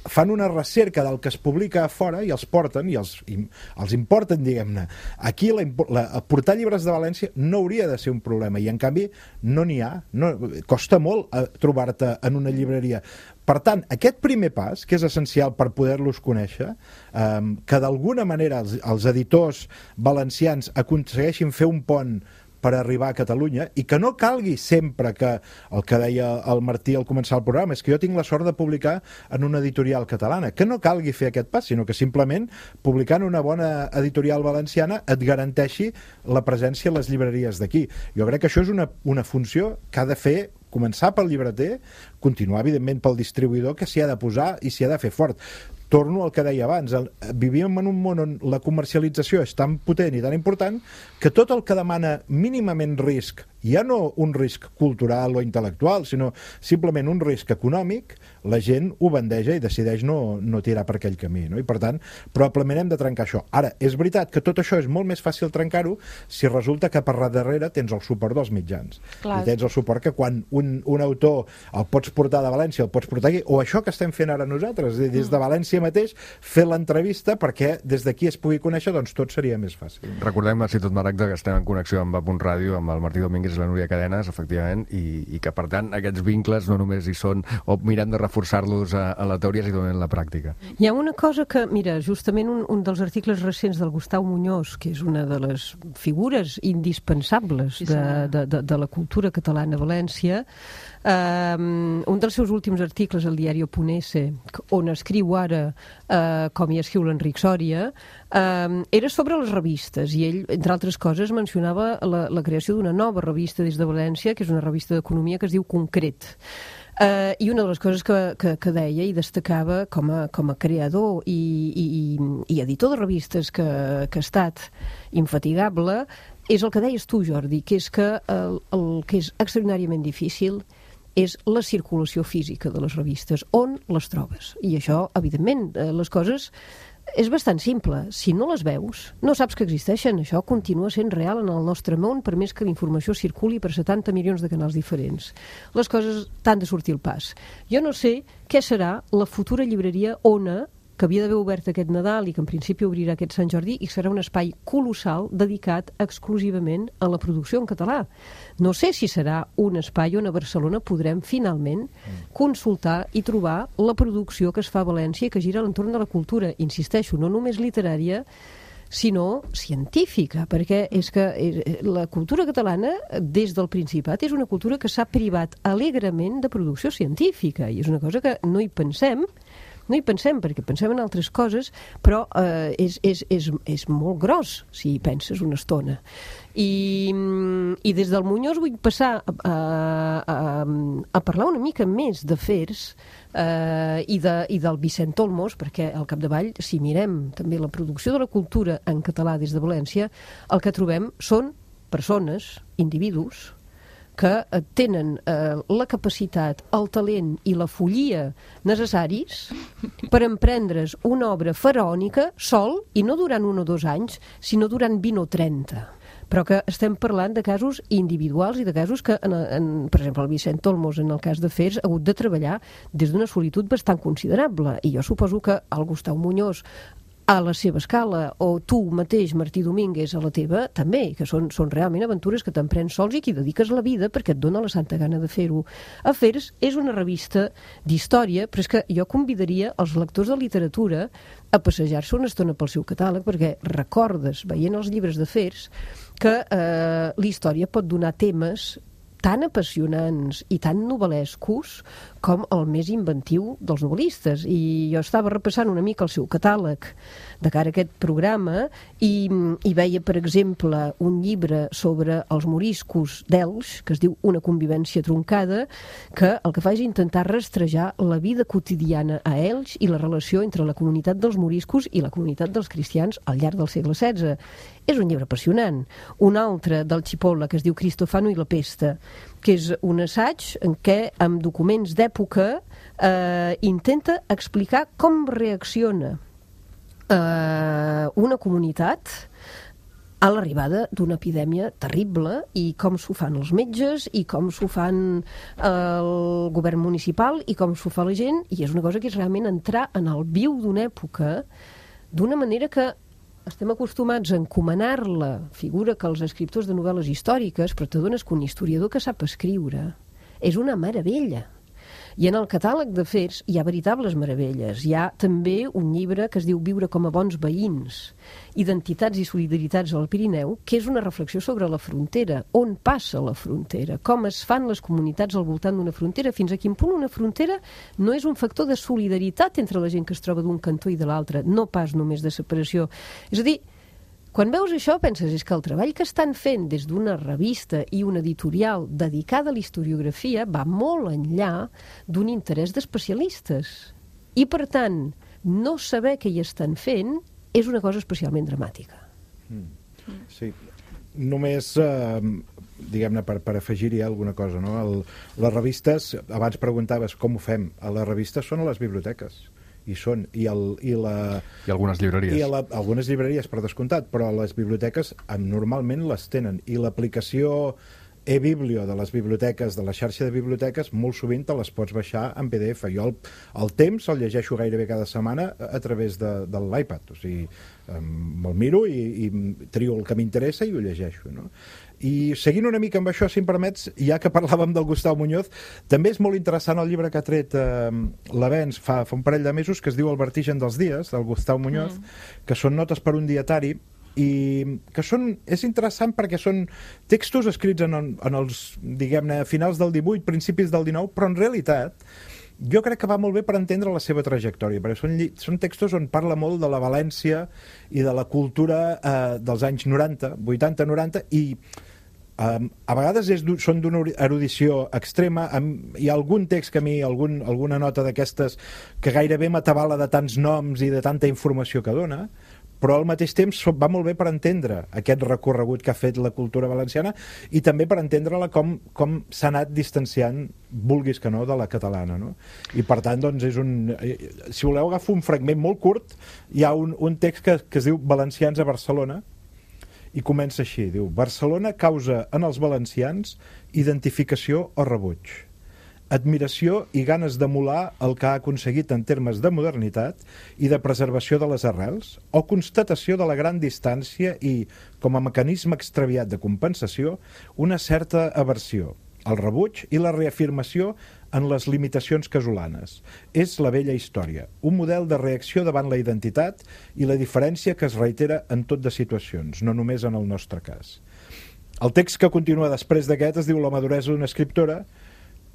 Speaker 6: fan una recerca del que es publica a fora i els porten, i els, i els importen, diguem-ne. Aquí la, la, portar llibres de València no hauria de ser un problema, i en canvi no n'hi ha, no, costa molt trobar-te en una llibreria. Per tant, aquest primer pas, que és essencial per poder-los conèixer, eh, que d'alguna manera els, els editors valencians aconsegueixin fer un pont per arribar a Catalunya, i que no calgui sempre que, el que deia el Martí al començar el programa, és que jo tinc la sort de publicar en una editorial catalana, que no calgui fer aquest pas, sinó que simplement publicant una bona editorial valenciana et garanteixi la presència a les llibreries d'aquí. Jo crec que això és una, una funció que ha de fer començar pel llibreter, continuar evidentment pel distribuïdor, que s'hi ha de posar i s'hi ha de fer fort. Torno al que deia abans, el, vivíem en un món on la comercialització és tan potent i tan important que tot el que demana mínimament risc, ja no un risc cultural o intel·lectual, sinó simplement un risc econòmic, la gent ho bandeja i decideix no, no tirar per aquell camí, no? I per tant, probablement hem de trencar això. Ara, és veritat que tot això és molt més fàcil trencar-ho si resulta que per darrere tens el suport dels mitjans. Clar. I tens el suport que quan un, un autor el pots portar de València, el pots portar aquí, o això que estem fent ara nosaltres, des de València mateix, fer l'entrevista perquè des d'aquí es pugui conèixer, doncs tot seria més fàcil.
Speaker 1: Recordem a Ciutat Maragda que estem en connexió amb A Punt Ràdio, amb el Martí Domínguez, és la Núria Cadenes, efectivament, i, i que, per tant, aquests vincles no només hi són, o mirem de reforçar-los a, a la teoria, sinó en la pràctica.
Speaker 7: Hi ha una cosa que, mira, justament un, un dels articles recents del Gustau Muñoz, que és una de les figures indispensables
Speaker 4: Sí,
Speaker 7: de,
Speaker 4: senyor.
Speaker 7: de, de, de la cultura catalana a València, um, un dels seus últims articles al diari Oponese, on escriu ara uh, com hi escriu l'Enric Sòria, um, era sobre les revistes, i ell, entre altres coses, mencionava la, la creació d'una nova revista des de València, que és una revista d'economia que es diu Concret. Uh, I una de les coses que, que, que deia i destacava com a, com a creador i, i, i editor de revistes que, que ha estat infatigable és el que deies tu, Jordi, que és que el, el que és extraordinàriament difícil és la circulació física de les revistes, on les trobes. I això, evidentment, les coses és bastant simple. Si no les veus, no saps que existeixen. Això continua sent real en el nostre món, per més que la informació circuli per setanta milions de canals diferents. Les coses t'han de sortir al pas. Jo no sé què serà la futura llibreria Ona, que havia d'haver obert aquest Nadal i que en principi obrirà aquest Sant Jordi, i serà un espai colossal dedicat exclusivament a la producció en català. No sé si serà un espai on a Barcelona podrem finalment consultar i trobar la producció que es fa a València i que gira a l'entorn de la cultura. Insisteixo, no només literària, sinó científica, perquè és que la cultura catalana, des del Principat, és una cultura que s'ha privat alegrement de producció científica, i és una cosa que no hi pensem, no hi pensem, perquè pensem en altres coses, però eh, és, és, és, és molt gros, si hi penses una estona. I, i des del Muñoz vull passar a, a, a parlar una mica més d'afers eh, i, de, i del Vicent Olmos, perquè al capdavall, si mirem també la producció de la cultura en català des de València, el que trobem són persones, individus, que tenen eh, la capacitat, el talent i la follia necessaris per emprendre's una obra faraònica sol, i no durant un o dos anys, sinó durant vint o trenta. Però que estem parlant de casos individuals i de casos que, en, en, per exemple, el Vicent Olmos, en el cas d'Afers, ha hagut de treballar des d'una solitud bastant considerable. I jo suposo que el Gustau Muñoz, a la seva escala, o tu mateix, Martí Domínguez, a la teva, també, que són, són realment aventures que t'emprens sols i que hi dediques la vida perquè et dona la santa gana de fer-ho. Afers és una revista d'història, però és que jo convidaria els lectors de literatura a passejar-se una estona pel seu catàleg, perquè recordes, veient els llibres d'Afers, que eh, la història pot donar temes tan apassionants i tan novel·lescos com el més inventiu dels novel·listes. I jo estava repassant una mica el seu catàleg de cara a aquest programa i, i veia, per exemple, un llibre sobre els moriscos d'Elx, que es diu Una convivència troncada, que el que fa és intentar rastrejar la vida quotidiana a Elx i la relació entre la comunitat dels moriscos i la comunitat dels cristians al llarg del segle setze. És un llibre apassionant. Un altre del Cipolla, que es diu Cristofano i la pesta, que és un assaig en què, amb documents d'època, eh, intenta explicar com reacciona eh, una comunitat a l'arribada d'una epidèmia terrible i com s'ho fan els metges i com s'ho fan el govern municipal i com s'ho fa la gent, i és una cosa que és realment entrar en el viu d'una època d'una manera que estem acostumats a encomanar la figura que els escriptors de novel·les històriques, però t'adones que un historiador que sap escriure és una meravella. I en el catàleg d'Afers hi ha veritables meravelles. Hi ha també un llibre que es diu Viure com a bons veïns, Identitats i solidaritats al Pirineu, que és una reflexió sobre la frontera, on passa la frontera, com es fan les comunitats al voltant d'una frontera, fins a quin punt una frontera no és un factor de solidaritat entre la gent que es troba d'un cantó i de l'altre, no pas només de separació. És a dir, quan veus això penses és que el treball que estan fent des d'una revista i una editorial dedicada a la historiografia va molt enllà d'un interès d'especialistes. I, per tant, no saber què hi estan fent és una cosa especialment dramàtica.
Speaker 6: Mm. Sí. Només, eh, diguem-ne, per, per afegir-hi alguna cosa, no? El, les revistes, abans preguntaves com ho fem, a les revistes són a les biblioteques. I són, i, el, i la...
Speaker 1: I algunes llibreries.
Speaker 6: I la, algunes llibreries, per descomptat, però les biblioteques normalment les tenen. I l'aplicació e-biblio de les biblioteques, de la xarxa de biblioteques, molt sovint te les pots baixar en P D F. Jo el, el temps el llegeixo gairebé cada setmana a través de, de l'iPad, o sigui, me'l miro i, i trio el que m'interessa i ho llegeixo, no? I seguint una mica amb això, si em permets, ja que parlàvem del Gustau Muñoz, també és molt interessant el llibre que ha tret eh, l'Avenç fa, fa un parell de mesos, que es diu El vertigen dels dies, del Gustau Muñoz, mm. que són notes per un dietari, i que són, és interessant perquè són textos escrits en, en els, diguem-ne, finals del divuit, principis del dinou, però en realitat jo crec que va molt bé per entendre la seva trajectòria, perquè són, són textos on parla molt de la València i de la cultura eh, dels anys noranta, vuitanta noranta, i eh, a vegades és, són d'una erudició extrema. Hi ha algun text que a mi, algun, alguna nota d'aquestes que gairebé m'atabala de tants noms i de tanta informació que dona, però al mateix temps va molt bé per entendre aquest recorregut que ha fet la cultura valenciana i també per entendre-la com, com s'ha anat distanciant, vulguis que no, de la catalana, no? I per tant, doncs, és un... Si voleu agafar un fragment molt curt, hi ha un, un text que, que es diu Valencians a Barcelona, i comença així, diu: Barcelona causa en els valencians identificació o rebuig, admiració i ganes d'emular el que ha aconseguit en termes de modernitat i de preservació de les arrels, o constatació de la gran distància i, com a mecanisme extraviat de compensació, una certa aversió, el rebuig i la reafirmació en les limitacions casolanes. És la vella història, un model de reacció davant la identitat i la diferència que es reitera en tot de situacions, no només en el nostre cas. El text que continua després d'aquest es diu La maduresa d'una escriptora,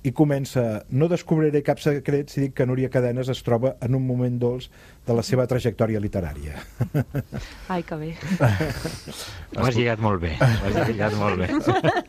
Speaker 6: i comença: no descobriré cap secret si dic que Núria Cadenes es troba en un moment dolç de la seva trajectòria literària.
Speaker 4: Ai, que bé.
Speaker 5: Ho has lligat molt bé. Ho has lligat molt bé.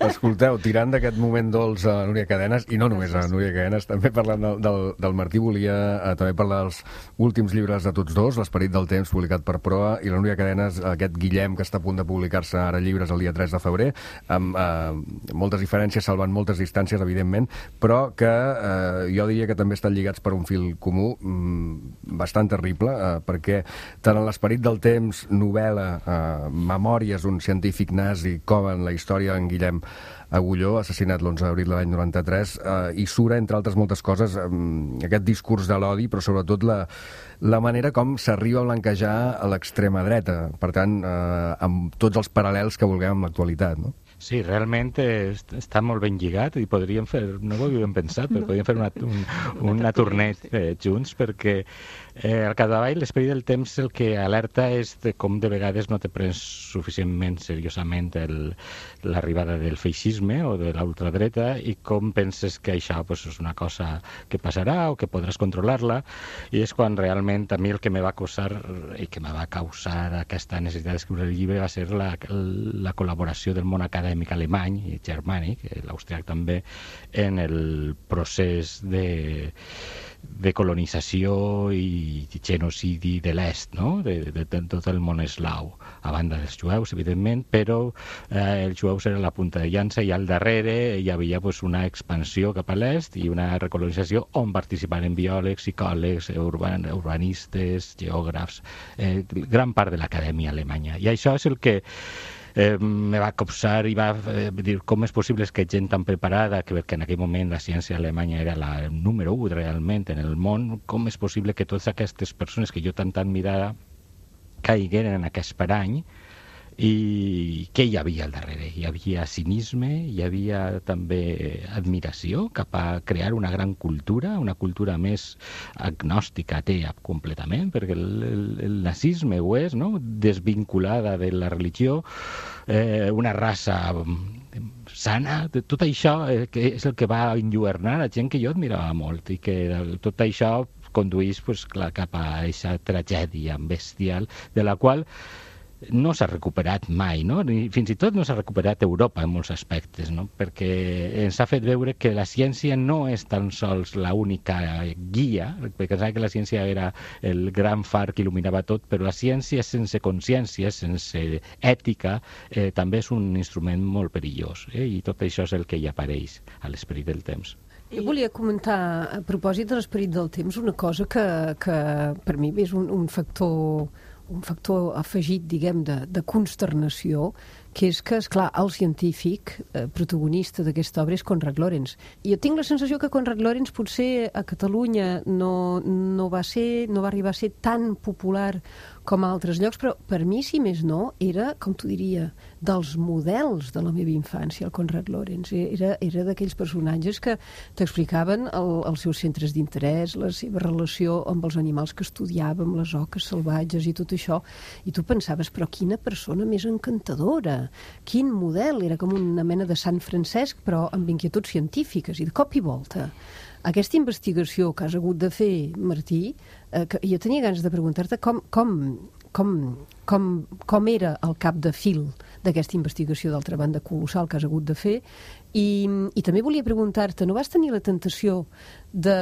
Speaker 1: Escolteu, tirant d'aquest moment dolç a Núria Cadenes, i no només a Núria Cadenes, també parlant del, del, del Martí, volia eh, també parlar dels últims llibres de tots dos, L'esperit del temps, publicat per Proa, i la Núria Cadenes, aquest Guillem, que està a punt de publicar-se ara llibres el dia tres de febrer, amb eh, moltes diferències, salvant moltes distàncies, evidentment, però que eh, jo diria que també estan lligats per un fil comú mm, bastant terrible, eh, perquè tant en L'esperit del temps, novel·la, eh, memòries d'un científic nazi, com en la història d'en Guillem Agulló, assassinat l'onze d'abril de l'any noranta-tres, eh, i sura, entre altres moltes coses, eh, aquest discurs de l'odi, però sobretot la, la manera com s'arriba a blanquejar a l'extrema dreta, per tant, eh, amb tots els paral·lels que vulguem amb l'actualitat, no?
Speaker 5: Sí, realment està molt ben lligat i podríem fer, no ho havíem pensat, però podríem fer una, un, una tornet eh, junts, perquè eh, al capdavall l'esperit del temps el que alerta és de com de vegades no te prens suficientment seriosament el, l'arribada del feixisme o de l'ultradreta i com penses que això pues, és una cosa que passarà o que podràs controlar-la, i és quan realment a mi el que me va causar i que me va causar aquesta necessitat d'escriure el llibre va ser la, la col·laboració del món acadèmic alemany i germànic, l'austriac també, en el procés de, de colonització i genocidi de l'est, no? de, de, de tot el món eslau, a banda dels jueus, evidentment, però eh, els jueus eren la punta de llança i al darrere hi havia pues, una expansió cap a l'est i una recolonització on participaren biòlegs, psicòlegs, urban, urbanistes, geògrafs, eh, gran part de l'acadèmia alemanya. I això és el que Eh, me va copsar i va eh, dir com és possible que gent tan preparada, que perquè en aquell moment la ciència alemanya era la número u realment en el món, com és possible que totes aquestes persones que jo tant admirava caigueren en aquest parany, i què hi havia al darrere? Hi havia cinisme, hi havia també admiració cap a crear una gran cultura, una cultura més agnòstica, atea completament, perquè el, el, el nazisme ho és, no? Desvinculada de la religió, eh, una raça sana, tot això eh, que és el que va enlluernar a gent que jo admirava molt i que tot això conduís pues, clar, cap a aquesta tragèdia bestial de la qual no s'ha recuperat mai, no? Ni, fins i tot no s'ha recuperat Europa en molts aspectes, no? Perquè ens ha fet veure que la ciència no és tan sols l'única guia, perquè pensava que la ciència era el gran far que il·luminava tot, però la ciència sense consciència, sense ètica, eh, també és un instrument molt perillós, eh? I tot això és el que hi apareix a l'esperit del temps.
Speaker 7: Jo volia comentar, a propòsit de l'esperit del temps, una cosa que, que per mi és un, un factor un factor afegit, diguem, de, de consternació, que és que, esclar, el científic eh, protagonista d'aquesta obra és Konrad Lorenz. I jo tinc la sensació que Konrad Lorenz potser a Catalunya no, no, va ser, no va arribar a ser tan popular com a altres llocs, però per mi, si més no, era, com t'ho diria, dels models de la meva infància, el Konrad Lorenz. Era, era d'aquells personatges que t'explicaven el, els seus centres d'interès, la seva relació amb els animals que estudiàvem, les oques salvatges i tot això. I tu pensaves, però quina persona més encantadora, quin model, era com una mena de Sant Francesc, però amb inquietuds científiques, i de cop i volta. Aquesta investigació que has hagut de fer, Martí, eh, que jo tenia ganes de preguntar-te com, com, com, com, com era el cap de fil d'aquesta investigació, d'altra banda colossal, que has hagut de fer, i, i també volia preguntar-te, no vas tenir la tentació de,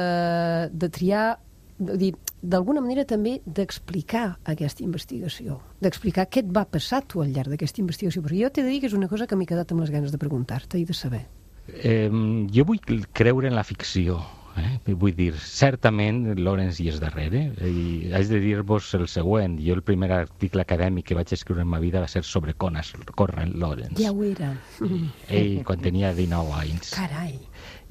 Speaker 7: de triar, de dir, d'alguna manera també d'explicar aquesta investigació, d'explicar què et va passar tu al llarg d'aquesta investigació, perquè jo t'he de dir que és una cosa que m'he quedat amb les ganes de preguntar-te i de saber.
Speaker 5: Eh, jo vull creure en la ficció. Eh? Vull dir, certament Lorenz hi és darrere, i haig de dir-vos el següent. Jo el primer article acadèmic que vaig escriure en ma vida va ser sobre Konrad Lorenz.
Speaker 7: Ja ho era.
Speaker 5: Ell, quan tenia dinou anys.
Speaker 7: Carai.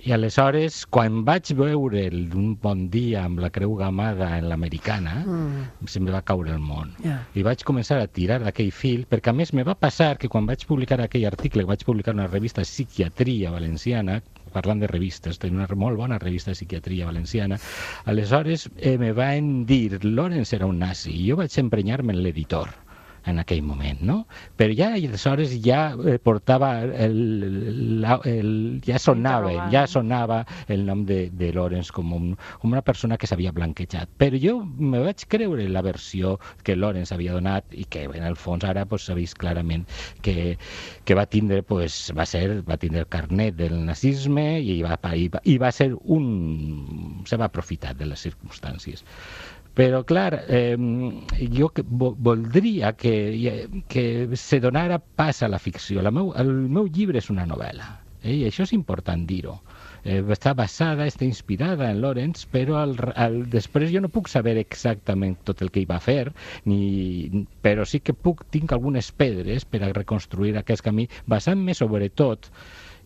Speaker 5: I aleshores, quan vaig veure'l un bon dia amb la creu gamada en l'americana, mm. se me va caure el món. Yeah. I vaig començar a tirar d'aquell fil, perquè a més me va passar que quan vaig publicar aquell article, vaig publicar una revista Psiquiatria Valenciana, parlant de revistes, tenia una molt bona revista de psiquiatria valenciana, aleshores eh, me van dir Lorenz era un nazi, i jo vaig emprenyar-me en l'editor en aquell moment, no? Però ja aleshores ja eh, portava el, el, el, ja sonava, ja sonava el nom de, de Lorenz com, un, com una persona que s'havia blanquejat. Però jo me vaig creure la versió que Lorenz havia donat i que en el fons ara pues, s'ha vist clarament que, que va tindre, pues, va ser, va tindre el carnet del nazisme i va, i va, i va ser un... se va aprofitar de les circumstàncies. Però, clar, eh, jo que, vo, voldria que, que se donara pas a la ficció. La meu, el meu llibre és una novel·la, eh, i això és important dir-ho. Eh, està basada, està inspirada en Lorenz, però al, al, després jo no puc saber exactament tot el que hi va fer, ni, però sí que puc, tinc algunes pedres per a reconstruir aquest camí, basant-me sobretot,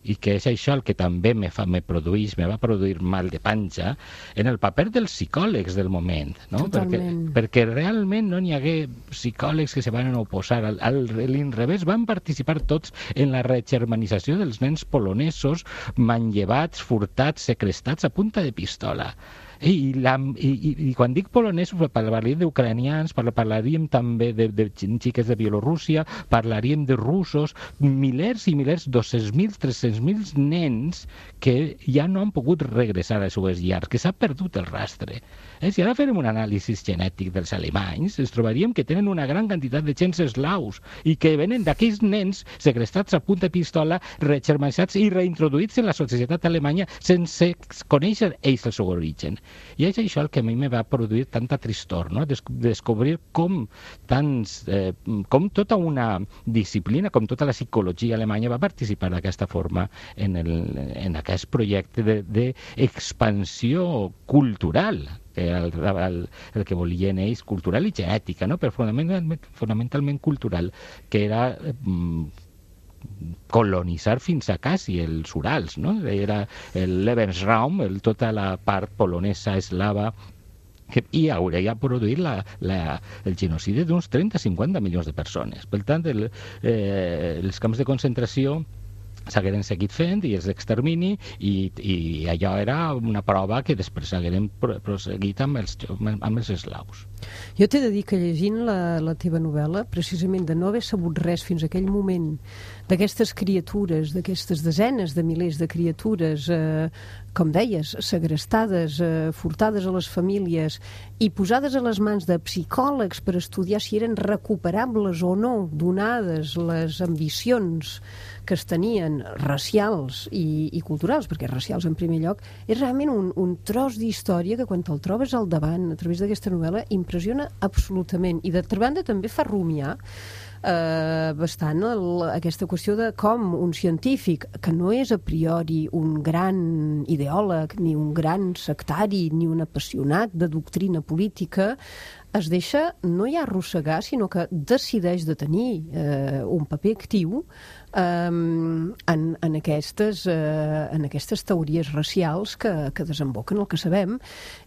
Speaker 5: i que és això el que també me, fa, me produeix, me va produir mal de panxa, en el paper dels psicòlegs del moment, no? Perquè, perquè realment no n'hi hagué psicòlegs que se van oposar al, al l'inrevés, van participar tots en la regermanització dels nens polonesos manllevats, furtats, secrestats a punta de pistola. I, la, i, i, i quan dic polonesos parlaríem d'ucranians, parlaríem també de, de xiques de Bielorússia, parlaríem de russos, milers i milers, dos-cents mil, tres-cents mil nens que ja no han pogut regressar a les seues llars, que s'ha perdut el rastre. Eh, si ara farem un anàlisi genètic dels alemanys, ens trobaríem que tenen una gran quantitat de gens eslaus i que venen d'aquells nens segrestats a punta de pistola, regermanitzats i reintroduïts en la societat alemanya sense conèixer ells el seu origen. I és això el que a mi me va produir tanta tristor, no? Des descobrir com tants, eh, com tota una disciplina, com tota la psicologia alemanya va participar d'aquesta forma en, el, en aquest projecte d'expansió cultural, que era el, el, el que volien ells, cultural i genètica, no? Però fonamentalment, fonamentalment cultural, que era... Eh, colonitzar fins a quasi els Urals, no? Era el Lebensraum, el, tota la part polonesa eslava, que, i hauria produït la, la, el genocidi d'uns trenta a cinquanta milions de persones. Per tant, el, eh, els camps de concentració s'hagueren seguit fent i els d'extermini i, i allò era una prova que després s'hagueren proseguit amb els, amb els eslaus.
Speaker 7: Jo t'he de dir que llegint la, la teva novel·la, precisament de no haver sabut res fins a aquell moment d'aquestes criatures, d'aquestes desenes de milers de criatures, eh, com deies, segrestades, eh, furtades a les famílies i posades a les mans de psicòlegs per estudiar si eren recuperables o no, donades les ambicions que es tenien racials i, i culturals, perquè racials en primer lloc, és realment un, un tros d'història que quan te'l trobes al davant a través d'aquesta novel·la impressiona absolutament, i d'altra banda també fa rumiar eh, bastant el, aquesta qüestió de com un científic, que no és a priori un gran ideòleg, ni un gran sectari, ni un apassionat de doctrina política, es deixa no ja arrossegar, sinó que decideix de tenir eh, un paper actiu eh, en, en, aquestes, eh, en aquestes teories racials que, que desemboquen el que sabem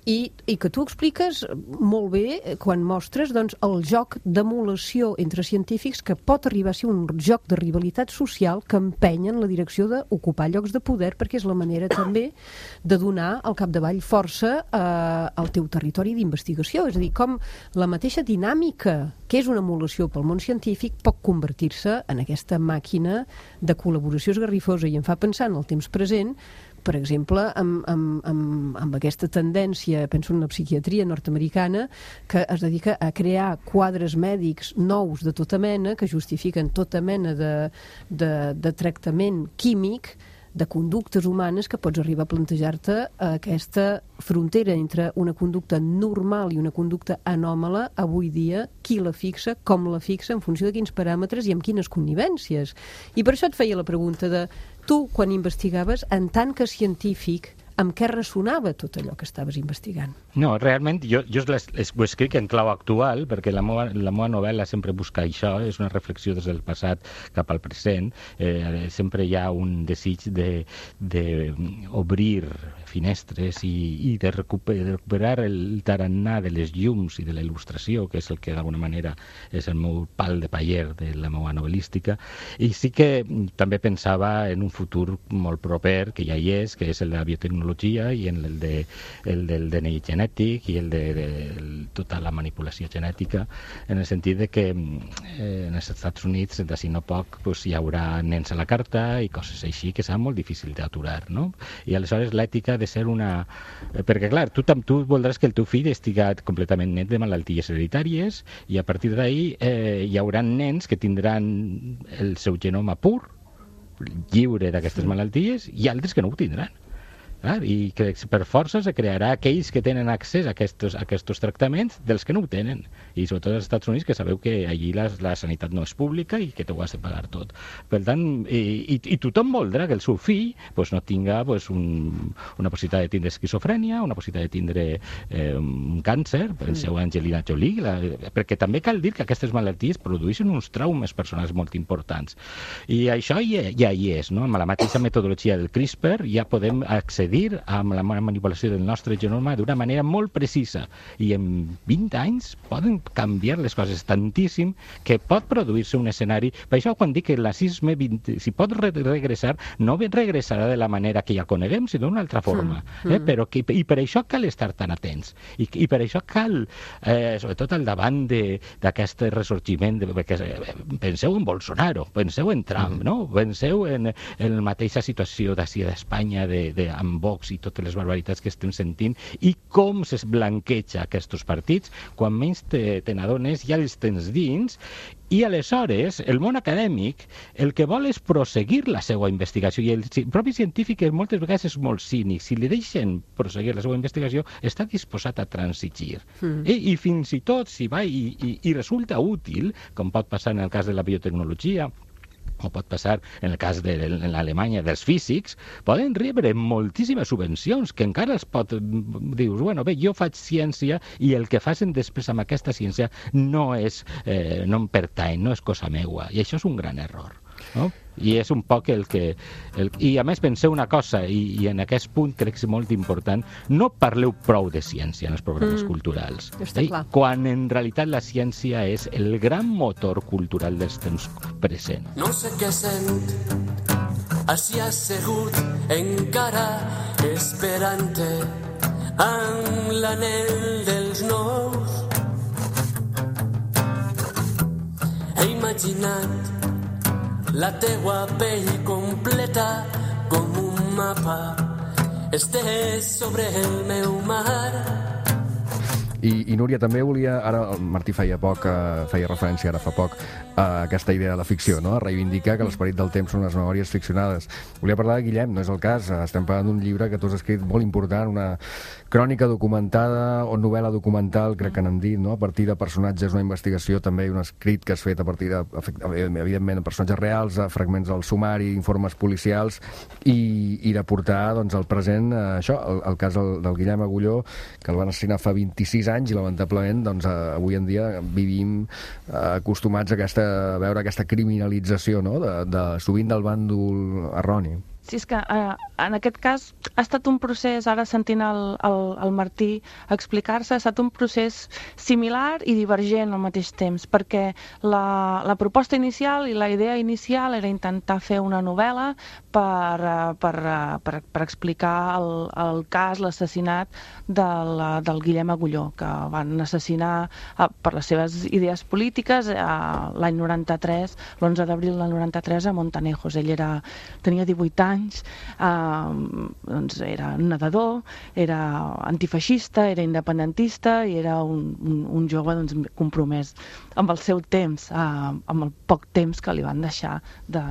Speaker 7: i, i que tu expliques molt bé quan mostres doncs, el joc d'emulació entre científics que pot arribar a ser un joc de rivalitat social que empenya en la direcció d'ocupar llocs de poder, perquè és la manera també de donar al capdavall força eh, al teu territori d'investigació. És a dir, com la mateixa dinàmica que és una emulació pel món científic pot convertir-se en aquesta màquina de col·laboració esgarrifosa i em fa pensar en el temps present, per exemple, amb, amb, amb, amb aquesta tendència, penso en la psiquiatria nord-americana, que es dedica a crear quadres mèdics nous de tota mena, que justifiquen tota mena de, de, de tractament químic de conductes humanes que pots arribar a plantejar-te aquesta frontera entre una conducta normal i una conducta anòmala, avui dia, qui la fixa, com la fixa, en funció de quins paràmetres i amb quines connivències. I per això et feia la pregunta de tu, quan investigaves, en tant que científic, amb què ressonava tot allò que estaves investigant?
Speaker 5: No, realment jo, jo les, les, ho escric en clau actual, perquè la meva, la meva novel·la sempre busca això, és una reflexió des del passat cap al present, eh, sempre hi ha un desig de, de obrir finestres i, i de recuperar, de recuperar el tarannà de les llums i de la il·lustració, que és el que d'alguna manera és el meu pal de paller de la meva novel·lística, i sí que també pensava en un futur molt proper, que ja hi és, que és el de la biotecnologia i en el, de, el del D N I genètic i el de, de el, tota la manipulació genètica, en el sentit de que eh, en els Estats Units d'ací no poc pues, hi haurà nens a la carta i coses així que serà molt difícil d'aturar, no? I aleshores l'ètica de ser una... Perquè clar, tu, tu voldràs que el teu fill estiga completament net de malalties hereditàries i a partir d'ahí eh, hi haurà nens que tindran el seu genoma pur, lliure d'aquestes malalties, i altres que no ho tindran. Clar, i que per força se crearà aquells que tenen accés a aquests, a aquests tractaments dels que no ho tenen, i sobretot als Estats Units, que sabeu que allí la, la sanitat no és pública i que t'ho has de pagar tot. Per tant, i, i, i tothom voldrà que el seu fill pues, no tinga pues, un, una possibilitat de tindre esquizofrènia, una possibilitat de tindre eh, un càncer, penseu en Angelina Jolie, la, perquè també cal dir que aquestes malalties produeixen uns traumes personals molt importants. I això ja, ja hi és, no? Amb la mateixa metodologia del CRISPR ja podem accedir amb la manipulació del nostre genoma d'una manera molt precisa, i en vint anys poden canviar les coses tantíssim que pot produir-se un escenari. Per això quan dic que el nazisme si pot regressar, no regressarà de la manera que ja coneguem, sinó d'una altra forma, eh? Però que, i per això cal estar tan atents i, i per això cal eh, sobretot al davant d'aquest ressorgiment de, perquè, eh, penseu en Bolsonaro, penseu en Trump, no? Penseu en, en la mateixa situació d'ací d'Espanya de, de, amb Vox i totes les barbaritats que estem sentint i com es blanqueja aquests partits, quan menys te, te n'adones ja els tens dins. I aleshores el món acadèmic el que vol és proseguir la seva investigació, i el propi científic moltes vegades és molt cínic. Si li deixen proseguir la seva investigació està disposat a transigir, mm. I, i fins i tot si va i, i, i resulta útil, com pot passar en el cas de la biotecnologia o pot passar en el cas de l'Alemanya dels físics, poden rebre moltíssimes subvencions que encara es pot... Dius, bueno, bé, jo faig ciència i el que facin després amb aquesta ciència no és, eh, no em pertany, no és cosa meua, i això és un gran error, no? I és un poc el que... El, I a més penseu una cosa, i, i en aquest punt crec que és molt important, no parleu prou de ciència en els programes mm. culturals. Eh? Quan en realitat la ciència és el gran motor cultural dels temps present.
Speaker 8: No sé què sent, així assegut encara esperant-te amb l'anell dels nous. He imaginat la teua pell completa com un mapa estès sobre el meu mar.
Speaker 1: I, i Núria, també volia, ara el Martí feia poc, eh, feia referència ara fa poc, a aquesta idea de la ficció, no? A reivindicar que l'esperit del temps són les memòries ficcionades. Volia parlar de Guillem, no és el cas, estem parlant d'un llibre que tu has escrit molt important, una crònica documentada o novel·la documental, crec que n'han dit, no? A partir de personatges, una investigació, també un escrit que has fet a partir de, evidentment, de personatges reals, de fragments del sumari, informes policials, i, i de portar, doncs, al present, eh, això, el, el cas del, del Guillem Agulló, que el van assassinar fa vint-i-sis anys i, lamentablement, doncs, eh, avui en dia vivim eh, acostumats a, aquesta, a veure aquesta criminalització, no? de, de, sovint del bàndol erroni.
Speaker 4: Sí, és que eh, en aquest cas ha estat un procés, ara sentint el, el, el Martí explicar-se, ha estat un procés similar i divergent al mateix temps, perquè la, la proposta inicial i la idea inicial era intentar fer una novel·la per, per, per, per explicar el, el cas, l'assassinat del, del Guillem Agulló, que van assassinar eh, per les seves idees polítiques eh, l'any noranta-tres, l'onze d'abril del noranta-tres a Montanejos. Ell era, tenia divuit anys, anys, eh, doncs era nedador, era antifeixista, era independentista i era un, un, un jove doncs, compromès amb el seu temps, eh, amb el poc temps que li van deixar de,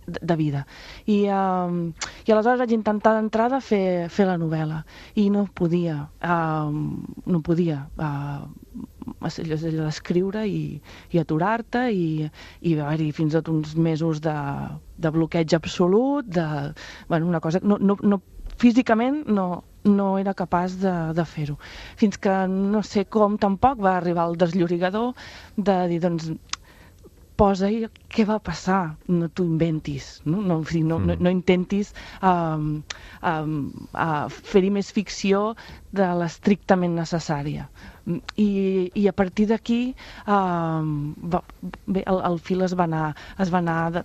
Speaker 4: de, de vida. I, eh, I aleshores vaig intentar d'entrada fer, fer la novel·la i no podia, eh, no podia eh, escriure i, i aturar-te i, i va haver-hi fins a uns mesos de, de bloqueig absolut, de, bueno, una cosa, no, no, no, físicament no, no era capaç de, de fer-ho. Fins que no sé com tampoc va arribar el desllorigador de dir, doncs, posa-hi què va passar, no t'ho inventis, no, no, no, no, no intentis um, um, uh, fer-hi més ficció de l'estrictament necessària. I, i a partir d'aquí um, va, bé, el, el fil es va anar, es va anar de,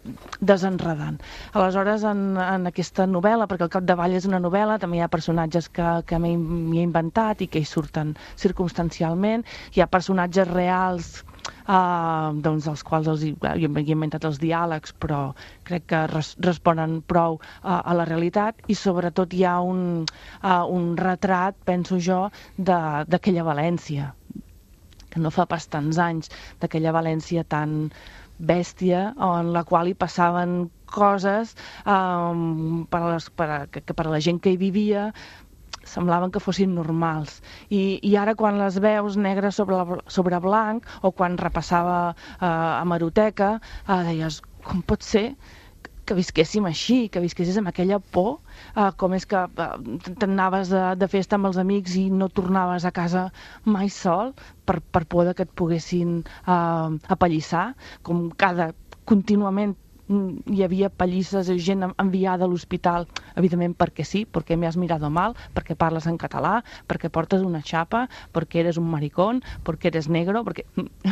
Speaker 4: desenredant. Aleshores, en, en aquesta novel·la, perquè al capdavall és una novel·la, també hi ha personatges que, que m'he inventat i que hi surten circumstancialment, hi ha personatges reals Uh, doncs els quals els, jo he inventat els diàlegs, però crec que res, responen prou uh, a la realitat, i sobretot hi ha un, uh, un retrat, penso jo, d'aquella València, que no fa pas tants anys, d'aquella València tan bèstia, en la qual hi passaven coses um, per a les, per a, que, que per a la gent que hi vivia semblaven que fossin normals. I, i ara quan les veus negre sobre, la, sobre blanc, o quan repassava eh, a hemeroteca, eh, deies, com pot ser que visquéssim així, que visquessis amb aquella por, eh, com és que eh, t'anaves de, de festa amb els amics i no tornaves a casa mai sol per, per por que et poguessin eh, apallissar, com cada contínuament hi havia pallisses, gent enviada a l'hospital, evidentment perquè sí, perquè m'has mirado mal, perquè parles en català, perquè portes una xapa, perquè eres un maricón, perquè eres negro, perquè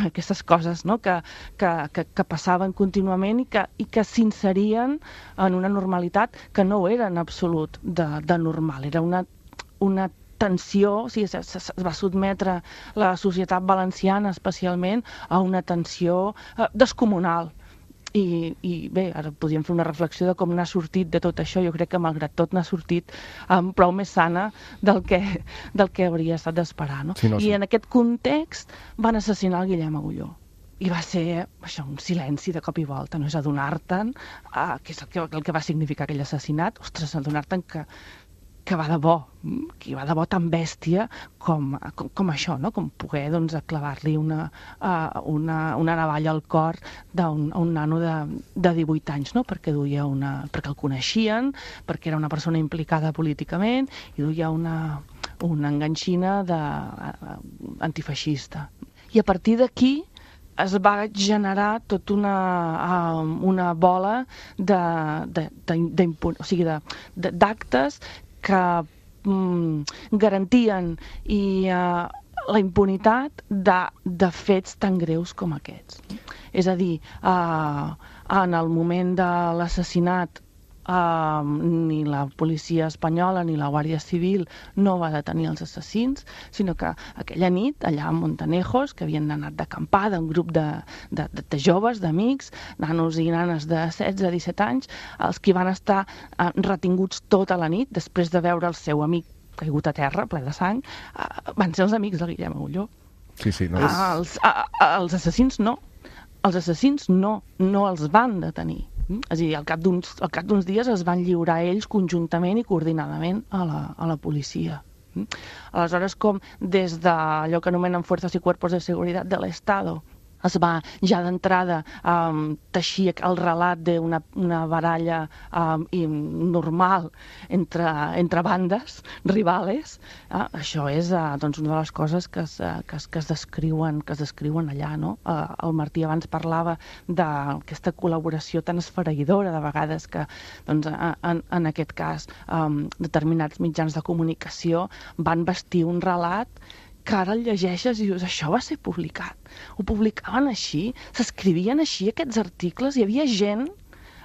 Speaker 4: aquestes coses, no? que, que, que, que passaven contínuament i que, i que s'inserien en una normalitat que no era en absolut de, de normal, era una, una tensió, o sigui, es, es va sotmetre la societat valenciana especialment a una tensió eh, descomunal. I, i bé, ara podríem fer una reflexió de com n'ha sortit de tot això. Jo crec que malgrat tot n'ha sortit um, prou més sana del que, del que hauria estat d'esperar, no? Sí, no, sí. I en aquest context van assassinar el Guillem Agulló. I va ser això, un silenci de cop i volta, no és adonar-te'n uh, què és el que, el que va significar aquell assassinat. Ostres, adonar-te'n que que va de bo, que va de bo tan bèstia com, com, com això, no? Com poder doncs, clavar-li una, uh, una, una navalla al cor d'un un nano de, de divuit anys, no? Perquè duia una, perquè el coneixien, perquè era una persona implicada políticament i duia una, una enganxina de, uh, antifeixista. I a partir d'aquí es va generar tota una, uh, una bola de, de, de, de, o sigui, d'actes que mm, garantien i uh, la impunitat de, de fets tan greus com aquests. És a dir, uh, en el moment de l'assassinat Uh, ni la policia espanyola ni la Guàrdia Civil no va detenir els assassins, sinó que aquella nit, allà a Montanejos, que havien anat d'acampada, un grup de, de, de joves, d'amics, nanos i nanes de setze a disset anys, els que van estar uh, retinguts tota la nit després de veure el seu amic caigut a terra, ple de sang, uh, van ser els amics de Guillem Agulló.
Speaker 1: Sí, sí, no
Speaker 4: Uh,
Speaker 1: és...
Speaker 4: els, uh, els assassins no. Els assassins no, no els van detenir. Mm? És a dir, al cap d'uns al cap d'uns dies es van lliurar ells conjuntament i coordinadament a la, a la policia. Mm? Aleshores, com des d'allò que anomenen Fuerzas y Cuerpos de Seguridad del Estado es va ja d'entrada um, teixir el relat d'una una baralla um, normal entre, entre bandes rivales, uh, això és uh, doncs una de les coses que es, uh, que es, que es, descriuen, que es descriuen allà, no? Uh, el Martí abans parlava d'aquesta col·laboració tan esfereïdora de vegades que doncs, en, en aquest cas um, determinats mitjans de comunicació van vestir un relat que ara el llegeixes i dius, això va ser publicat. Ho publicaven així, s'escrivien així aquests articles, hi havia gent,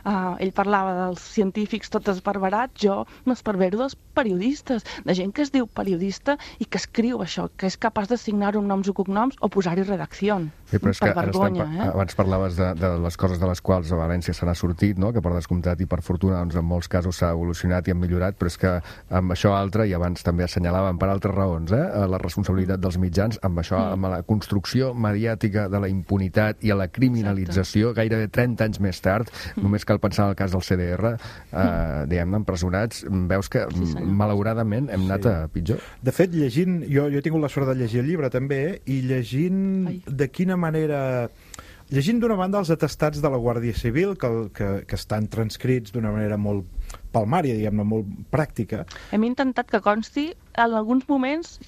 Speaker 4: uh, ell parlava dels científics tots esparverats, jo m'esparvero dels periodistes, de gent que es diu periodista i que escriu això, que és capaç de signar-ho amb noms i cognoms o posar-hi redacció.
Speaker 1: Sí, però és
Speaker 4: per
Speaker 1: que
Speaker 4: vergonya,
Speaker 1: estem,
Speaker 4: eh?
Speaker 1: abans parlaves de, de les coses de les quals a València se n'ha sortit, no? Que per descomptat i per fortuna doncs, en molts casos s'ha evolucionat i ha millorat, però és que amb això altre, i abans també assenyalàvem per altres raons, eh? La responsabilitat dels mitjans, amb això, mm. amb la construcció mediàtica de la impunitat i a la criminalització, exacte, gairebé trenta anys més tard, mm. només cal pensar en el cas del C D R, eh, mm. diguem-ne, empresonats, veus que sí, malauradament hem anat sí. a pitjor.
Speaker 6: De fet, llegint, jo, jo he tingut la sort de llegir el llibre també, i llegint Ai. de quina manera... Llegint d'una banda els atestats de la Guàrdia Civil, que, que, que estan transcrits d'una manera molt palmària, diguem-ne, molt pràctica.
Speaker 4: Hem intentat que consti, en alguns moments...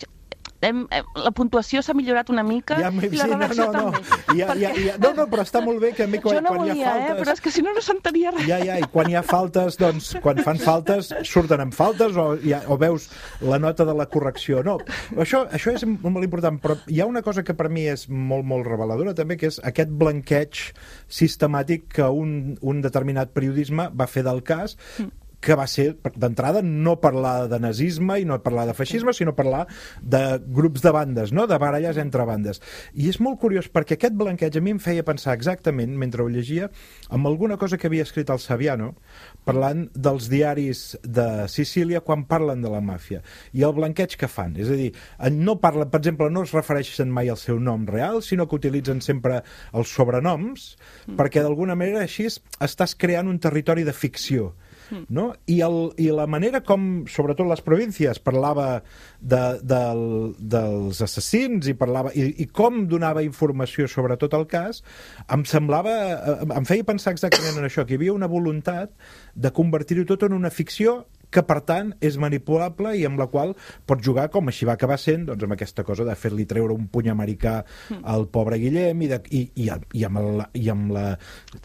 Speaker 4: Hem, hem, la puntuació s'ha millorat una mica
Speaker 6: ja,
Speaker 4: i la redacció
Speaker 6: no, no,
Speaker 4: també.
Speaker 6: No. Ja, ja, ja, no, no, però està molt bé que a mi quan,
Speaker 4: jo no
Speaker 6: quan
Speaker 4: volia,
Speaker 6: hi ha faltes...
Speaker 4: eh, però és que si no, no s'entenia res.
Speaker 6: Ja, ja, i quan hi ha faltes, doncs, quan fan faltes, surten amb faltes o, ja, o veus la nota de la correcció. No, això, això és molt important, però hi ha una cosa que per mi és molt, molt reveladora també, que és aquest blanqueig sistemàtic que un, un determinat periodisme va fer del cas, mm. que va ser, d'entrada, no parlar de nazisme i no parlar de feixisme, sinó parlar de grups de bandes, no? De baralles entre bandes. I és molt curiós, perquè aquest blanqueig a mi em feia pensar exactament, mentre ho llegia, amb alguna cosa que havia escrit el Saviano, parlant dels diaris de Sicília quan parlen de la màfia, i el blanqueig que fan. És a dir, no parlen, per exemple, no es refereixen mai al seu nom real, sinó que utilitzen sempre els sobrenoms, mm. perquè d'alguna manera així estàs creant un territori de ficció. No? I, el, i la manera com, sobretot les províncies, parlava de, del, dels assassins i, parlava, i, i com donava informació sobre tot el cas, em semblava, em feia pensar exactament en això, que hi havia una voluntat de convertir-ho tot en una ficció que, per tant, és manipulable i amb la qual pot jugar, com així va acabar sent, doncs amb aquesta cosa de fer-li treure un puny americà al pobre Guillem i, de, i, i, i, amb, el, i amb la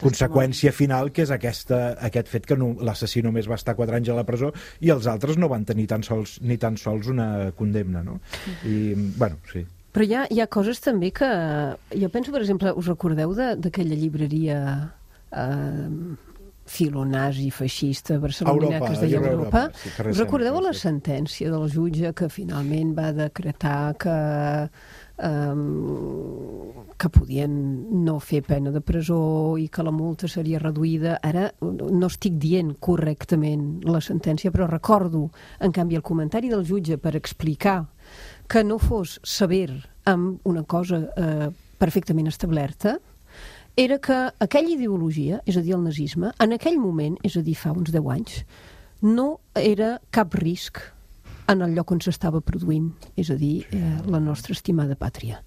Speaker 6: conseqüència final, que és aquesta, aquest fet que no, l'assassí només va estar quatre anys a la presó i els altres no van tenir tan sols, ni tan sols una condemna, no? I, bueno, sí.
Speaker 7: Però hi ha, hi ha coses també que... Jo penso, per exemple, us recordeu d'aquella llibreria... Eh, filonazi feixista barcelonina que es deia Europa. Europa. Sí, us recordeu la sentència del jutge que finalment va decretar que um, que podien no fer pena de presó i que la multa seria reduïda? Ara no estic dient correctament la sentència, però recordo, en canvi, el comentari del jutge per explicar que no fos sever amb una cosa eh, perfectament establerta, era que aquella ideologia, és a dir, el nazisme, en aquell moment, és a dir, fa uns deu anys, no era cap risc en el lloc on s'estava produint, és a dir, eh, la nostra estimada pàtria.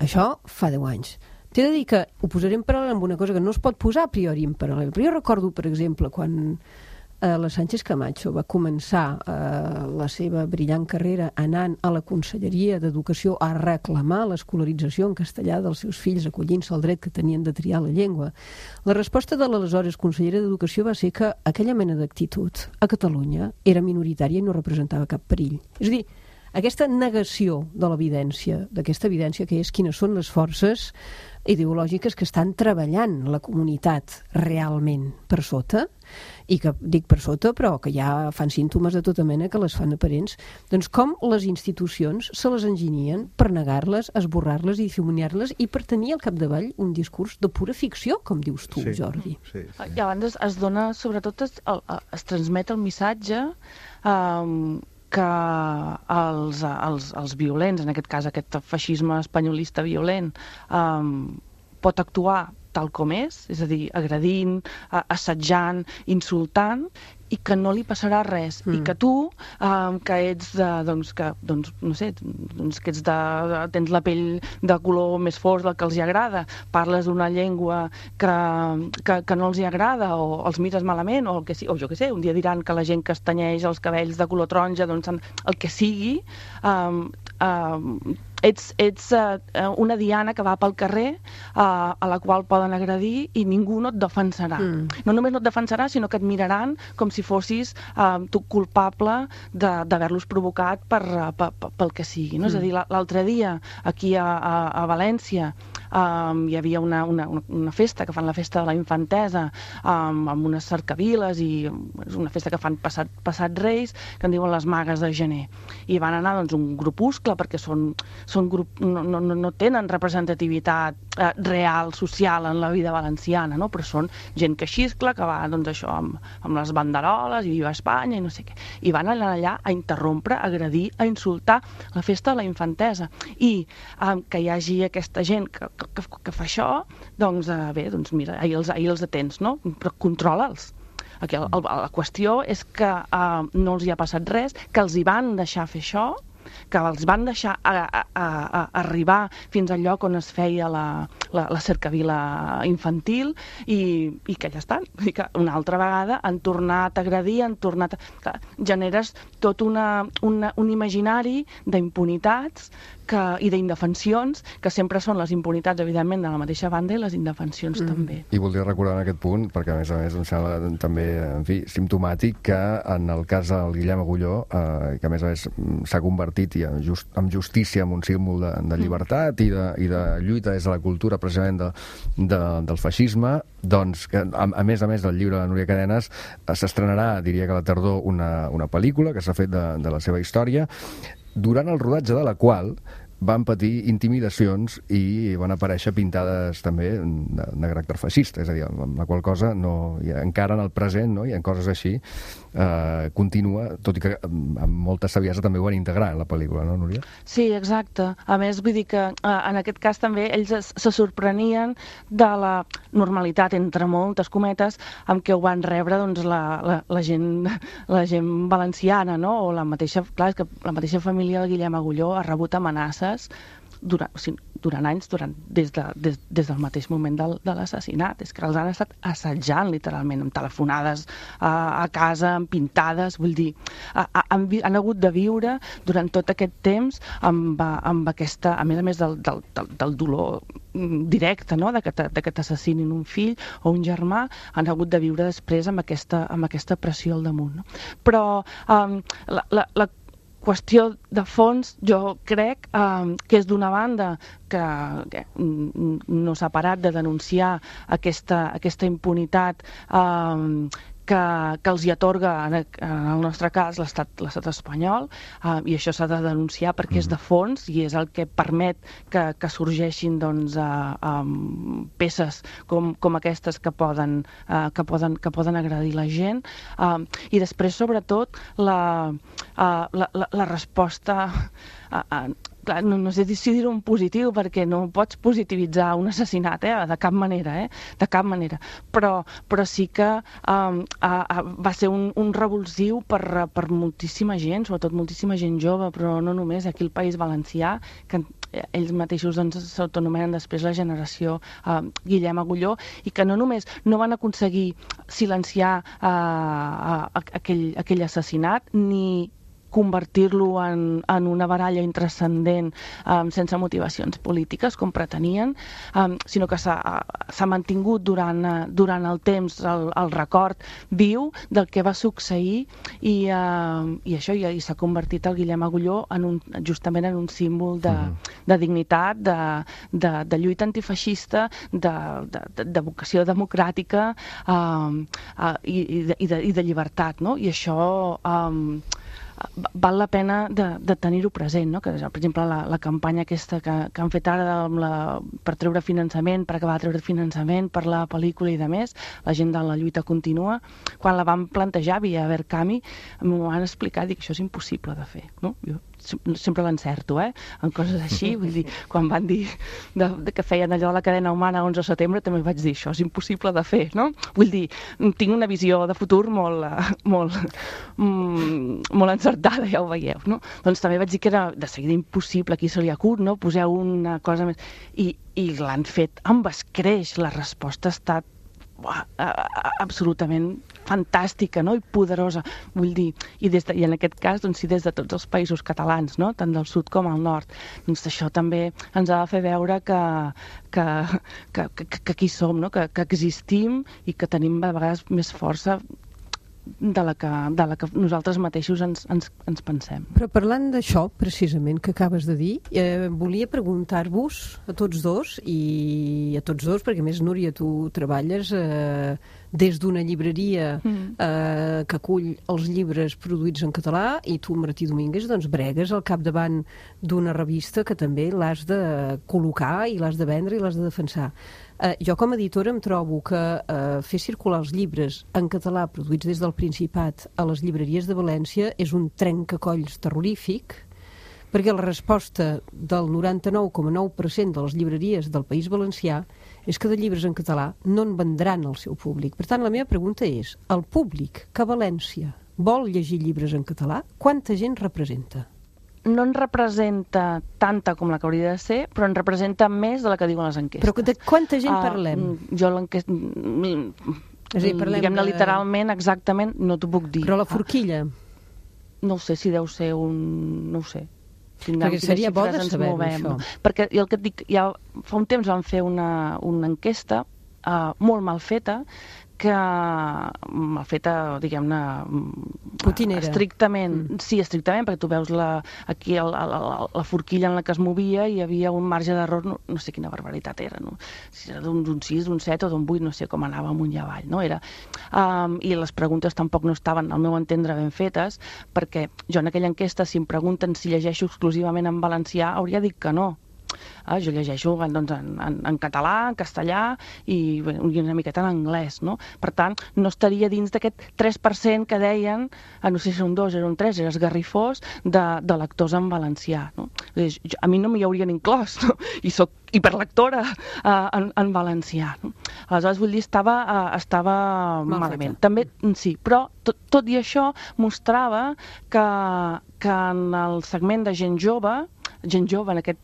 Speaker 7: Això fa deu anys. T'he de dir que ho posaré en paral·lel amb una cosa que no es pot posar a priori en paral·lel, però jo recordo, per exemple, quan eh, la Sánchez Camacho va començar eh, la seva brillant carrera anant a la Conselleria d'Educació a reclamar l'escolarització en castellà dels seus fills, acollint-se al dret que tenien de triar la llengua. La resposta de l'aleshores consellera d'Educació va ser que aquella mena d'actitud a Catalunya era minoritària i no representava cap perill. És a dir, aquesta negació de l'evidència, d'aquesta evidència que és quines són les forces ideològiques que estan treballant la comunitat realment per sota, i que dic per sota, però que ja fan símptomes de tota mena que les fan aparents, doncs com les institucions se les enginyen per negar-les, esborrar-les i difuminar-les i per tenir al capdavall un discurs de pura ficció, com dius tu, sí, Jordi.
Speaker 6: Sí, sí.
Speaker 4: I abans es, es dona, sobretot, es, es, es transmet el missatge um, que els, els, els violents, en aquest cas aquest feixisme espanyolista violent, um, pot actuar tal com és, és a dir, agredint, assetjant, insultant, i que no li passarà res. Mm. I que tu, um, que ets de, doncs, que, doncs, no sé, doncs, que ets de, de, tens la pell de color més fosc del que els hi agrada, parles una llengua que, que, que no els hi agrada, o els mires malament, o el que sí, o jo què sé, un dia diran que la gent que es tenyeix els cabells de color taronja, doncs el que sigui, um, um, ets, ets uh, una diana que va pel carrer uh, a la qual poden agredir i ningú no et defensarà. Mm. No només no et defensarà, sinó que et miraran com si fossis uh, tu culpable d'haver-los provocat per, uh, per, per, pel que sigui. No? Mm. És a dir, l'altre dia, aquí a, a, a València, um, hi havia una, una, una festa, que fan la festa de la infantesa, um, amb unes cercaviles, i és una festa que fan passat, passat Reis, que en diuen les magues de gener. I van anar doncs, un grupuscle, perquè són, són grup, no, no, no tenen representativitat eh, real, social en la vida valenciana, no? Però són gent que xiscla, que va doncs, això, amb, amb les banderoles i viva Espanya i no sé què. I van anar allà a interrompre, a agredir, a insultar la festa de la infantesa. I eh, que hi hagi aquesta gent que, que, que fa això, doncs eh, bé, doncs mira, ahir els, ahir els atens, no? Però controla'ls. Aquí el, el, la qüestió és que eh, no els hi ha passat res, que els hi van deixar fer això, que els van deixar a, a, a, a arribar fins al lloc on es feia la, la, la cercavila infantil i, i que ja estan. I que una altra vegada han tornat a agredir, han tornat a... Clar, generes tot una, una, un imaginari d'impunitats que, i d'indefensions, que sempre són les impunitats, evidentment, de la mateixa banda i les indefensions mm. també.
Speaker 1: I voldria recordar en aquest punt, perquè a més a més em sembla també, en fi, simptomàtic, que en el cas del Guillem Agulló, eh, que a més a més s'ha convertit i just, amb justícia en un símbol de, de llibertat mm. i, de, i de lluita des de la cultura precisament de, de, del feixisme, doncs, que, a, a més a més del llibre de Núria Cadenes, eh, s'estrenarà, diria que a la tardor, una, una pel·lícula que s'ha fet de, de la seva història, durant el rodatge de la qual van patir intimidacions i van aparèixer pintades també de, de caràcter feixista, és a dir, amb la qual cosa no, i encara en el present, no, i en coses així eh, continua, tot i que amb molta saviesa també ho van integrar en la pel·lícula, no, Núria?
Speaker 4: Sí, exacte. A més, vull dir que eh, en aquest cas també ells es, se sorprenien de la normalitat, entre moltes cometes, amb què ho van rebre doncs, la, la, la, gent, la gent valenciana, no? O la mateixa, clar, és que la mateixa família del Guillem Agulló ha rebut amenaces durant, o sigui, durant anys, durant, des, de, des, des del mateix moment del, de l'assassinat. És que els han estat assetjant, literalment, amb telefonades a, a casa, amb pintades, vull dir, a, a, han, han hagut de viure durant tot aquest temps amb, amb aquesta, a més a més del, del, del, del dolor directe, no?, de que, de que t'assassinin un fill o un germà, han hagut de viure després amb aquesta, amb aquesta pressió al damunt. No? Però um, la, la, la qüestió de fons, jo crec eh, que és d'una banda que, que no s'ha parat de denunciar aquesta, aquesta impunitat eh, que, que els hi atorga, en el nostre cas, l'estat l'estat espanyol, eh, i això s'ha de denunciar perquè és de fons i és el que permet que, que sorgeixin doncs, eh, um, peces com, com aquestes que poden, eh, que, poden, que poden agredir la gent. Eh, I després, sobretot, la, eh, la, la, la resposta... Eh, eh, Clar, no, no sé si dir-ho en positiu, perquè no pots positivitzar un assassinat, eh? De cap manera, eh? De cap manera. Però, però sí que um, a, a, va ser un, un revulsiu per, per moltíssima gent, sobretot moltíssima gent jove, però no només aquí al País Valencià, que ells mateixos doncs, s'autonomenen després la generació uh, Guillem Agulló, i que no només no van aconseguir silenciar uh, uh, aquell, aquell assassinat, ni convertir-lo en, en una baralla intranscendent um, sense motivacions polítiques, com pretenien, um, sinó que s'ha mantingut durant, uh, durant el temps el, el record viu del que va succeir i, uh, i això, i, i s'ha convertit el Guillem Agulló en un, justament en un símbol de, de dignitat, de, de, de lluita antifeixista, de, de, de vocació democràtica um, uh, i, i, de, i, de, i de llibertat, no? I això... Um, val la pena de, de tenir-ho present, no? Que, per exemple, la, la campanya aquesta que, que han fet ara amb la, per treure finançament, per acabar de treure finançament per la pel·lícula i de més, la gent de la lluita continua, quan la van plantejar via Verkami, m'ho van explicar, dic, això és impossible de fer, no? Jo sempre l'encerto, eh? En coses així, vull dir, quan van dir de, de que feien allò a la cadena humana onze de setembre, també vaig dir, això és impossible de fer, no? Vull dir, tinc una visió de futur molt, molt, molt encertada, ja ho veieu, no? Doncs també vaig dir que era de seguida impossible, aquí se li acut, no? Poseu una cosa més... I, i l'han fet amb escreix, la resposta ha estat Uah, absolutament fantàstica, no? I poderosa, vull dir, i, des de, i en aquest cas, doncs, sí, des de tots els països catalans, no? Tant del sud com al nord, doncs això també ens ha de fer veure que, que, que, que, que aquí som, no? Que, que existim i que tenim a vegades més força de la que, de la que nosaltres mateixos ens, ens, ens pensem.
Speaker 7: Però parlant d'això, precisament, que acabes de dir, eh, volia preguntar-vos a tots dos, i a tots dos, perquè a més, Núria, tu treballes eh, des d'una llibreria eh, que acull els llibres produïts en català, i tu, Martí Domínguez, doncs bregues al capdavant d'una revista que també l'has de col·locar i l'has de vendre i l'has de defensar. Uh, jo com a editora em trobo que uh, fer circular els llibres en català produïts des del Principat a les llibreries de València és un trencacolls terrorífic, perquè la resposta del noranta-nou coma nou per cent de les llibreries del País Valencià és que de llibres en català no en vendran al seu públic. Per tant, la meva pregunta és, el públic que a València vol llegir llibres en català, quanta gent representa?
Speaker 4: No en representa tanta com la que hauria de ser, però en representa més de la que diuen les enquestes.
Speaker 7: Però de quanta gent parlem?
Speaker 4: Uh, jo l'enquesta...
Speaker 7: És a dir, parlem
Speaker 4: diguem-ne
Speaker 7: de...
Speaker 4: literalment, exactament, no t'ho puc dir.
Speaker 7: Però la forquilla?
Speaker 4: No ho sé, si deu ser un... no ho sé.
Speaker 7: Perquè seria bo de saber-ho, això.
Speaker 4: Perquè jo el que et dic, ja fa un temps van fer una, una enquesta uh, molt mal feta, que mal feta, diguem-ne,
Speaker 7: putinera.
Speaker 4: Estrictament,
Speaker 7: mm.
Speaker 4: sí, estrictament, perquè tu veus la, aquí el, el, el, la forquilla en la que es movia i hi havia un marge d'error, no, no sé quina barbaritat era, no? Si era d'un sis, d'un set o d'un vuit, no sé com anava amunt i avall, no? Era, um, i les preguntes tampoc no estaven, al meu entendre, ben fetes, perquè jo en aquella enquesta, si em pregunten si llegeixo exclusivament en valencià, hauria dit que no. Ah, jo llegeixo doncs, en, en, en català, en castellà i, bueno, i una miqueta en anglès, no? Per tant, no estaria dins d'aquest tres per cent que deien, no sé si era un dos, era un tres, era esgarrifós, de, de lectors en valencià, no? Jo, a mi no m'hi haurien inclòs, no? I soc hiperlectora uh, en, en valencià, no? Aleshores, vull dir, estava, uh, estava
Speaker 7: Mal
Speaker 4: malament.
Speaker 7: feta.
Speaker 4: També, sí, però tot, tot i això mostrava que, que en el segment de gent jove, gent jove en aquest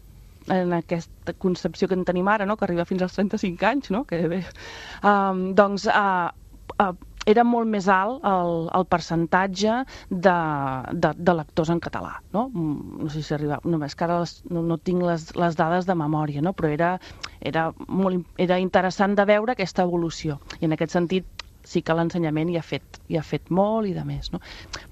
Speaker 4: en aquesta concepció que en tenim ara, no? Que arriba fins als trenta-cinc anys, no? Que bé. Um, doncs uh, uh, era molt més alt el, el percentatge de, de, de lectors en català, no? No sé si arriba, només que ara les, no, no tinc les, les dades de memòria, no? Però era, era, molt, era interessant de veure aquesta evolució, i en aquest sentit sí que l'ensenyament hi ha fet, hi ha fet molt i de més, no?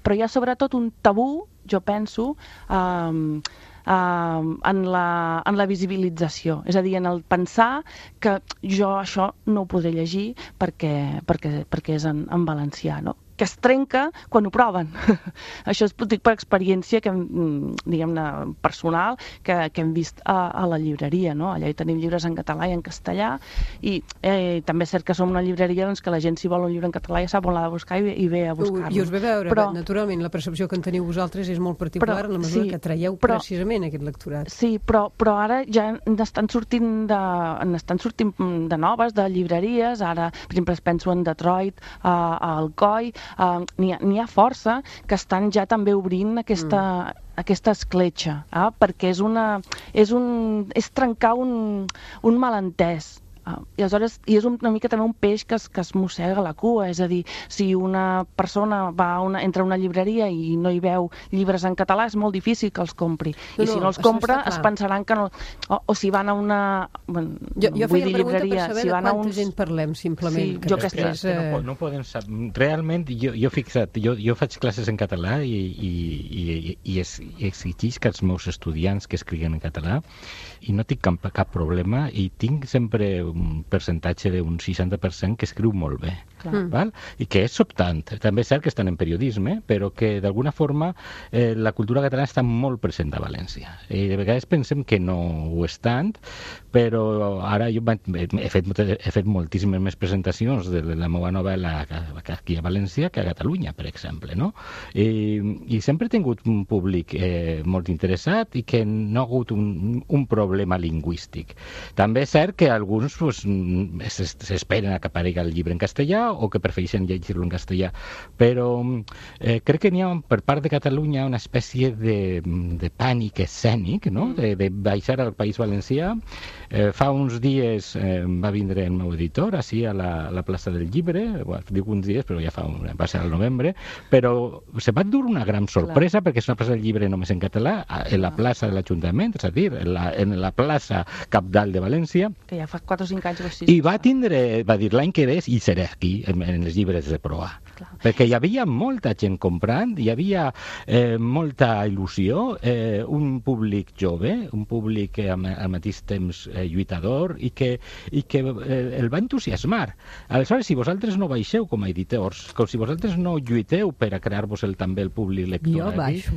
Speaker 4: Però hi ha sobretot un tabú, jo penso, um, Uh, en, la, en la visibilització, és a dir, en el pensar que jo això no ho podré llegir perquè, perquè, perquè és en, en valencià, no? Que es trenca quan ho proven. Això es dic per experiència que, diguem-ne, personal que, que hem vist a, a la llibreria, no? Allà hi tenim llibres en català i en castellà, i eh, també és cert que som una llibreria doncs, que la gent, si vol un llibre en català, ja sap on l'ha de buscar i, i ve a buscar-lo.
Speaker 7: I us ve veure, però, naturalment, la percepció que en teniu vosaltres és molt particular, però, en la mesura sí, que traieu però, precisament aquest lectorat.
Speaker 4: Sí, però, però ara ja n'estan sortint, de, n'estan sortint de noves, de llibreries, ara, per exemple, es penso en Detroit, a, a Alcoi. Uh, n'hi ha, n'hi ha força que estan ja també obrint aquesta, mm. aquesta escletxa, eh? Perquè és, una, és, un, és trencar un, un malentès. Uh, I aleshores i és una mica també un peix que es, que es mossega la cua, és a dir, si una persona va a una, entra a una llibreria i no hi veu llibres en català, és molt difícil que els compri. No, I si no, no els compra, es pensaran que no... O, o si van a una... Bueno,
Speaker 7: jo jo feia la pregunta
Speaker 4: llibreria,
Speaker 7: per saber
Speaker 4: si
Speaker 7: de quanta
Speaker 4: uns...
Speaker 7: gent parlem, simplement.
Speaker 4: Sí,
Speaker 7: que
Speaker 4: jo que
Speaker 7: després,
Speaker 5: eh... no, no poden saber. Realment, jo, jo fixa't, jo, jo faig classes en català i, i, i, i, es, i exigís que els meus estudiants que escriguen en català, i no tinc cap, cap problema, i tinc sempre un percentatge d'un seixanta per cent que escriu molt bé.
Speaker 4: Clar.
Speaker 5: Val? I que és sobtant. També és cert que estan en periodisme, però que d'alguna forma eh, la cultura catalana està molt present a València. I de vegades pensem que no ho és tant, però ara jo he fet, he fet moltíssimes més presentacions de la meva novel·la aquí a València que a Catalunya, per exemple, no? I, i sempre he tingut un públic eh, molt interessat i que no ha hagut un, un problema lingüístic. També és cert que alguns pues, s'esperen a que aparegui el llibre en castellà o que prefereixen llegir-lo en castellà, però eh, crec que n'hi ha per part de Catalunya una espècie de, de pànic escènic, no? de, de baixar al País Valencià. Eh, fa uns dies eh, va vindre el meu editor així a la, a la plaça del Llibre, bueno, dic uns dies però ja fa un, va ser al novembre, però se va dur una gran sorpresa, clar, perquè és una plaça del Llibre només en català, en la plaça de l'Ajuntament, és a dir, en la, en la plaça cabdal de València,
Speaker 4: que ja fa quatre o cinc anys o així.
Speaker 5: I va tindre, va dir l'any que ve i seré aquí en, en els llibres de proa, clar, perquè hi havia molta gent comprant, hi havia eh, molta il·lusió, eh, un públic jove, un públic que al, al mateix temps eh, lluitador i que, i que eh, el va entusiasmar. Aleshores, si vosaltres no baixeu com a editors, com si vosaltres no lluiteu per a crear-vos el, també el públic lector,
Speaker 7: jo baixo.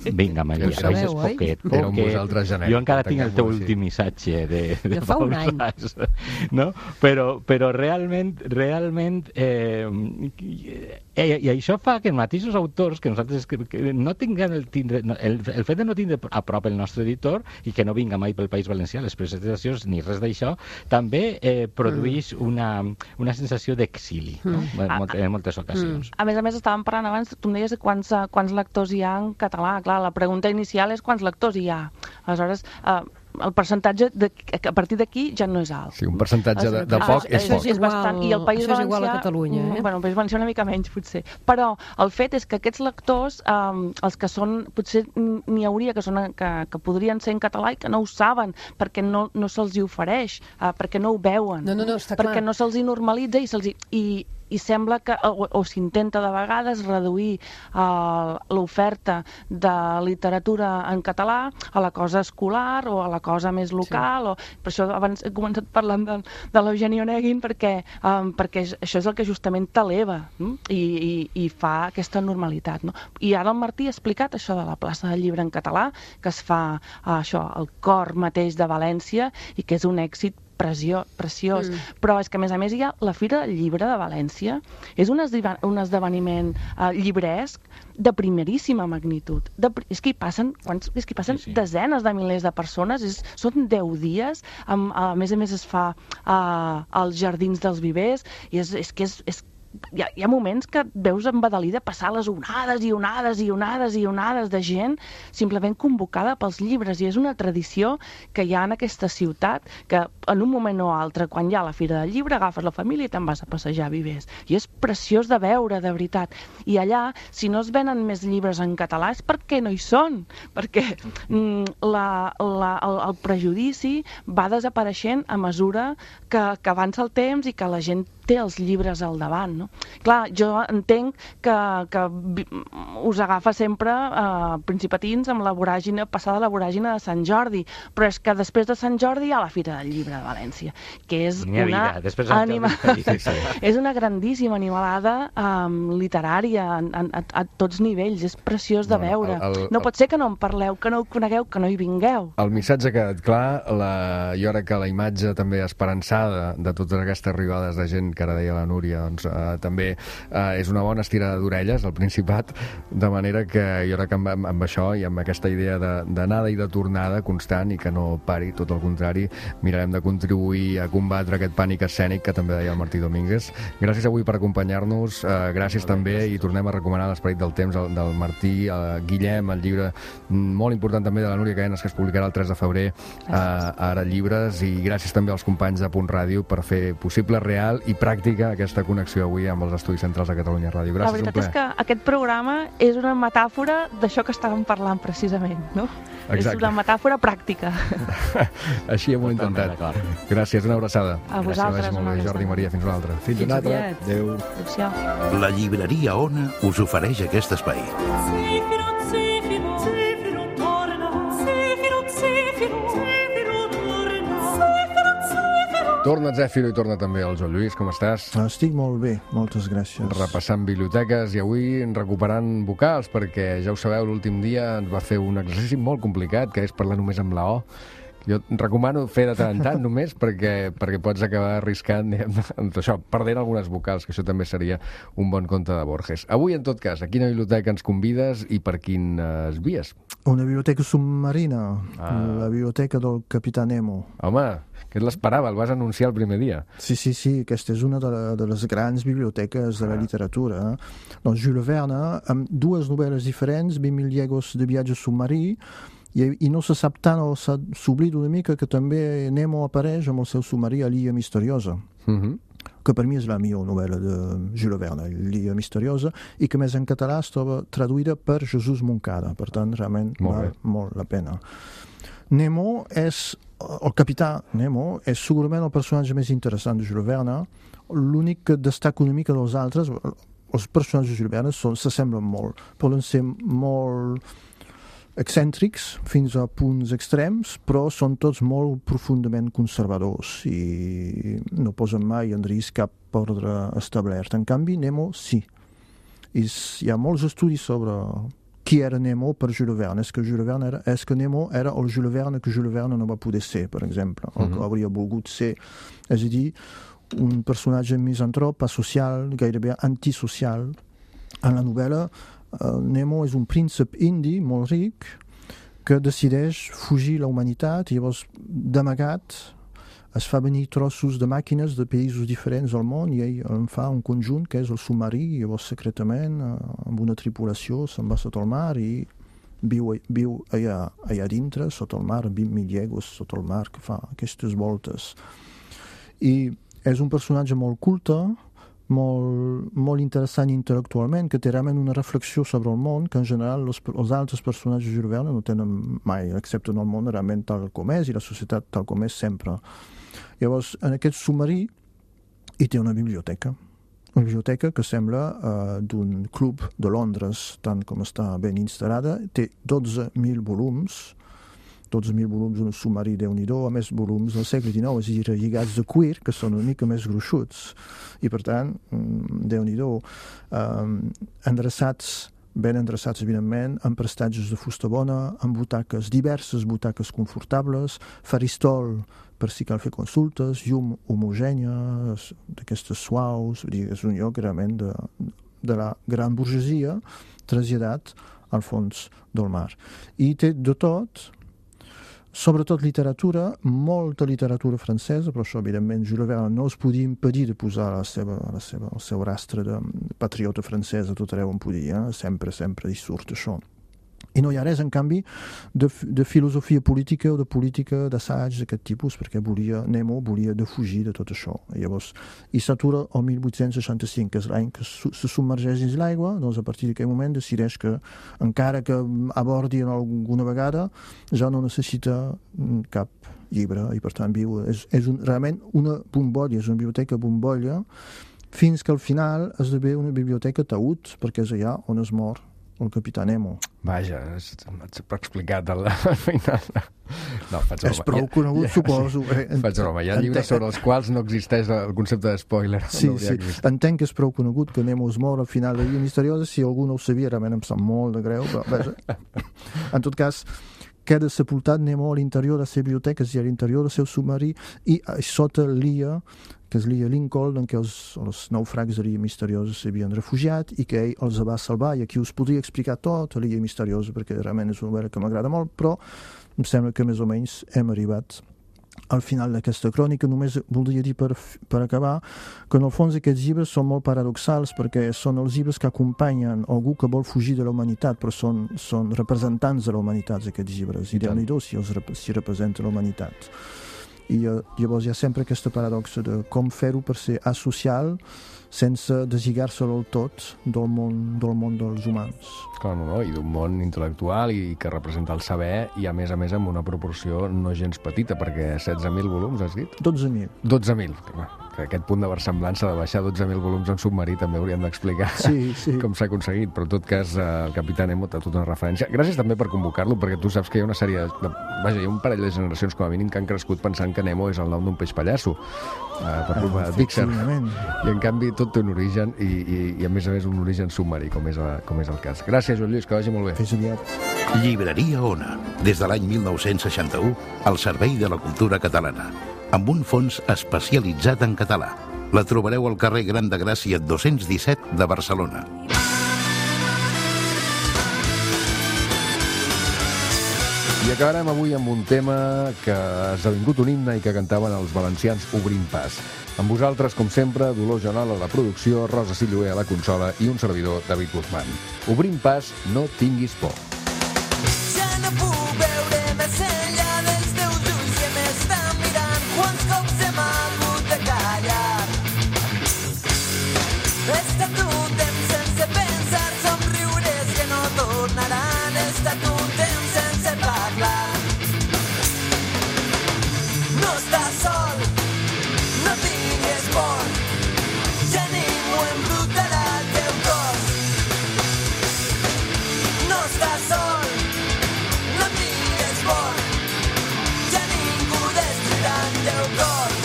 Speaker 5: Vinga, Maria, baixes poquet, poquet. Jo encara tinc el teu últim missatge de, de
Speaker 7: de fa un any.
Speaker 5: No? Però, però realment, realment eh, i, i això fa que els mateixos autors que nosaltres que, que no tinguem el, tindre, el, el fet de no tindre a prop el nostre editor i que no vinga mai pel País Valencià les presentacions ni res d'això, també eh, produeix mm. una, una sensació d'exili, no?
Speaker 4: Mm.
Speaker 5: en, moltes, en moltes ocasions.
Speaker 4: A més a més, estàvem parlant abans, tu em deies quants, quants lectors hi ha en català. Clar, la pregunta inicial és quants lectors hi ha. Aleshores, eh, el percentatge de, a partir d'aquí ja no és alt.
Speaker 1: Sí, un percentatge de, de poc
Speaker 4: ah,
Speaker 1: és poc.
Speaker 4: És bastant, i el País
Speaker 7: això és
Speaker 4: Valencià,
Speaker 7: igual a Catalunya, eh?
Speaker 4: Bueno, el País Valencià una mica menys, potser. Però el fet és que aquests lectors, um, els que són, potser n'hi hauria que, són, que, que podrien ser en català i que no ho saben, perquè no, no se'ls hi ofereix, uh, perquè no ho veuen,
Speaker 7: no, no, no, està
Speaker 4: perquè
Speaker 7: clar.
Speaker 4: no se'ls hi normalitza i se'ls hi... I, i sembla que, o, o s'intenta de vegades reduir uh, l'oferta de literatura en català a la cosa escolar o a la cosa més local, sí. o, per això abans he començat parlant de, de l'Eugeni Onegin perquè, um, perquè això és el que justament t'eleva, no? I, i, i fa aquesta normalitat, no? I ara el Martí ha explicat això de la plaça del Llibre en català, que es fa uh, això, al cor mateix de València i que és un èxit Pressió, preciós, mm. però és que a més a més hi ha la Fira del Llibre de València, és un, esdeva, un esdeveniment uh, llibresc de primeríssima magnitud. De, és que hi passen, quants, és que hi passen sí, sí. desenes de milers de persones, és, són deu dies, amb, a més a més es fa uh, als Jardins dels Vivers, i és, és que és, és Hi ha, hi ha moments que veus embadalida passar les onades i onades i onades i onades de gent simplement convocada pels llibres, i és una tradició que hi ha en aquesta ciutat, que en un moment o altre, quan hi ha la Fira del Llibre, agafes la família i te'n vas a passejar a Vivers, i és preciós de veure, de veritat. I allà, si no es venen més llibres en català és perquè no hi són, perquè mm, la, la, el, el prejudici va desapareixent a mesura que, que avança el temps i que la gent té els llibres al davant, no? Clar, jo entenc que, que us agafa sempre eh, principatins amb la voràgine, passada la voràgine de Sant Jordi, però és que després de Sant Jordi hi ha la Fira del Llibre de València, que és una anima... és una grandíssima animalada um, literària a, a, a tots nivells, és preciós de no, veure. El, el, no pot ser que no en parleu, que no ho conegueu, que no hi vingueu.
Speaker 1: El missatge ha quedat clar, la, jo crec que la imatge també esperançada de totes aquestes arribades de gent que ara deia la Núria, doncs eh, també eh, és una bona estirada d'orelles al Principat, de manera que jo crec que amb, amb, amb això i amb aquesta idea d'anada i de tornada constant i que no pari, tot el contrari, mirarem de contribuir a combatre aquest pànic escènic que també deia el Martí Domínguez. Gràcies avui per acompanyar-nos, eh, gràcies també, i tornem a recomanar l'Esperit del temps del, del Martí, eh, Guillem, el llibre molt important també de la Núria Cadenes, que es publicarà el tres de febrer eh, a Ara Llibres, i gràcies també als companys de Punt Ràdio per fer possible, real i pràctica aquesta connexió avui amb els estudis centrals de Catalunya Ràdio. Gràcies,
Speaker 4: la veritat és que aquest programa és una metàfora d'això que estàvem parlant precisament, no? Exacte. És una metàfora pràctica.
Speaker 1: Així hem intentat. Gràcies, una abraçada.
Speaker 4: A vosaltres.
Speaker 1: Gràcies, molt bé, Jordi i Maria, fins una altra.
Speaker 6: Fins una altra. Adéu.
Speaker 2: La llibreria Ona us ofereix aquest espai.
Speaker 1: Torna Zèfiro i torna també el Joan Lluís, com estàs?
Speaker 9: Estic molt bé, moltes gràcies.
Speaker 1: Repassant biblioteques i avui recuperant vocals, perquè ja ho sabeu, l'últim dia ens va fer un exercici molt complicat, que és parlar només amb la O. Jo recomano fer de tant en tant només perquè, perquè pots acabar arriscant amb això, perdent algunes vocals, que això també seria un bon conte de Borges. Avui, en tot cas, a quina biblioteca ens convides i per quines vies?
Speaker 9: Una biblioteca submarina,
Speaker 1: ah.
Speaker 9: la biblioteca del Capità Nemo.
Speaker 1: Home, que l'esperava, el vas anunciar el primer dia.
Speaker 9: Sí, sí, sí, aquesta és una de, la, de les grans biblioteques de la literatura. Doncs Jules Verne, amb dues novel·les diferents, vint mil llegos de viatge submarí, I, i no se sap tant, o s'oblida una mica, que també Nemo apareix amb el seu submarí a l'Illa Misteriosa,
Speaker 1: uh-huh.
Speaker 9: que per mi és la millor novel·la de Jules Verne, l'Illa Misteriosa, i que més en català es troba traduïda per Jesús Moncada, per tant, realment
Speaker 1: molt
Speaker 9: val molt la pena. Nemo és, el capità Nemo és segurament el personatge més interessant de Jules Verne, l'únic que destaca una mica dels altres. Els personatges de Jules Verne s'assemblen molt, poden ser molt excèntrics fins a punts extrems, però són tots molt profundament conservadors i no posen mai en risc cap ordre establert. En canvi, Nemo sí. I hi ha molts estudis sobre qui era Nemo per Jules Verne. És que, Jules Verne era, és que Nemo era el Jules Verne que Jules Verne no va poder ser, per exemple, o que hauria volgut ser. És a dir, un personatge misantrop, asocial, gairebé antisocial. En la novel·la, Uh, Nemo és un príncep indi molt ric que decideix fugir la humanitat i llavors d'amagat es fa venir trossos de màquines de països diferents del món i ell en fa un conjunt que és el submarí i llavors secretament uh, amb una tripulació se'n va sota el mar i viu, viu allà, allà dintre sota el mar, vint mil llegos sota el mar, que fa aquestes voltes i és un personatge molt culte, molt, molt interessant intel·lectualment, que té realment una reflexió sobre el món que en general els, els altres personatges de Jules Verne no tenen mai, excepte en el món realment tal com és i la societat tal com és sempre. Llavors, en aquest submarí hi té una biblioteca. Una biblioteca que sembla uh, d'un club de Londres, tant com està ben instal·lada. Té dotze mil volums, dotze mil volums, un submarí déu-n'hi-do, a més volums del segle dinou, és a dir, lligats de cuir, que són una mica més gruixuts. I, per tant, déu-n'hi-do, um, endreçats, ben endreçats, evidentment, amb prestatges de fusta bona, amb butaques, diverses butaques confortables, faristol per si cal fer consultes, llum homogènia, d'aquestes suaus, dir, és un lloc realment de, de la gran burgesia traslladat al fons del mar. I té de tot, sobretot literatura, molta literatura francesa, però això, evidentment, Jules Verne no es podia impedir de posar la seva, la seva, el seu rastre de patriota francesa tot arreu on podia, eh? sempre, sempre hi surt això. I no hi ha res, en canvi, de, de filosofia política o de política d'assaig d'aquest tipus, perquè volia, Nemo volia defugir de tot això. I llavors, i s'atura el mil vuit-cents seixanta-cinc, que és l'any que se submergeix dins l'aigua, doncs a partir d'aquell moment decideix que, encara que abordi alguna vegada, ja no necessita cap llibre, i per tant viu. És, és un, realment una bombolla, és una biblioteca bombolla, fins que al final esdevé una biblioteca taüt, perquè és allà on es mor el capità Nemo.
Speaker 1: Vaja, m'has explicat al final. No, faig broma.
Speaker 9: És prou conegut, ja, suposo.
Speaker 1: Eh? Faig broma. Hi ha llibres sobre els quals no existeix el concepte de spoiler.
Speaker 9: Sí,
Speaker 1: no
Speaker 9: sí. Entenc que és prou conegut que Nemo es mor al final de l'Illa Misteriosa. Si algú no ho sabia, realment em sap molt de greu, però vaja. En tot cas, queda sepultat Nemo a l'interior de la seva biblioteca, és a dir, a l'interior del seu submarí, i sota l'illa, que és l'illa Lincoln, en què els, els naufrags de l'illa Misteriosa s'havien refugiat i que ell els va salvar. I aquí us podria explicar tot a l'illa Misteriosa, perquè realment és una novel·la que m'agrada molt, però em sembla que més o menys hem arribat al final d'aquesta crònica. Només voldria dir per, per acabar que en el fons aquests llibres són molt paradoxals, perquè són els llibres que acompanyen algú que vol fugir de la humanitat, però són, són representants de la humanitat, aquests llibres, i déu-n'hi-do si els si representa la humanitat. I uh, llavors hi ha sempre aquesta paradoxa de com fer-ho per ser asocial sense deslligar-se del tot del món, del món dels humans.
Speaker 1: Clar, no, no, i d'un món intel·lectual i que representa el saber, i a més a més amb una proporció no gens petita, perquè setze mil volums, has dit?
Speaker 9: dotze mil.
Speaker 1: dotze mil. que aquest punt de versemblança de baixar dotze mil volums en submarí també hauríem d'explicar
Speaker 9: Sí, sí.
Speaker 1: com s'ha aconseguit, però en tot cas eh, el Capità Nemo té tota una referència. Gràcies també per convocar-lo, perquè tu saps que hi ha una sèrie de... Vaja, hi ha un parell de generacions com a mínim que han crescut pensant que Nemo és el nom d'un peix pallasso, eh, per culpa de Pixar. I en canvi tot té un origen i, i, i a més a més un origen submarí, com és, a, com és el cas. Gràcies, Joan Lluís, que vagi molt bé.
Speaker 9: Fins aviat.
Speaker 10: Llibreria Ona, des de l'any mil nou-cents seixanta-u, al servei de la cultura catalana, amb un fons especialitzat en català. La trobareu al carrer Gran de Gràcia dos-cents disset de Barcelona.
Speaker 1: I acabarem avui amb un tema que ha esdevingut un himne i que cantaven els valencians Obrint Pas. Amb vosaltres, com sempre, Dolors Jonal a la producció, Rosa Silloé a la consola i un servidor, David Guzmán. Obrint Pas, no tinguis por.
Speaker 11: Ja no puc veure més enllà dels teus ulls que m'estan mirant. Quants cops hem hagut de callar. He estat un temps sense pensar, somriures que no tornaran. He estat un temps sense parlar. No estàs sol, no tingues por, ja ningú embrutarà el teu cos. No estàs sol, no tingues por, ja ningú destruirà el teu cor.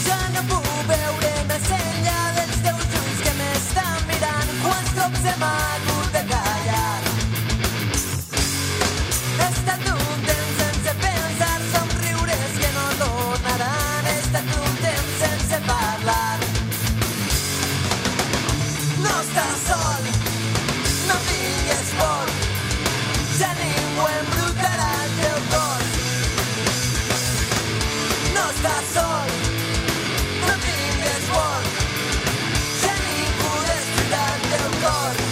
Speaker 11: Ja no puc veure més enllà dels teus ulls que m'estan mirant. Quants cops hem hagut de callar. He estat un temps sense pensar, somriures que no tornaran. He estat un temps sense parlar. No estàs sol, no tingues por, ja ningú embrutarà el teu cos. No estàs sol, no tingues por, ja ningú destruirà el teu cor.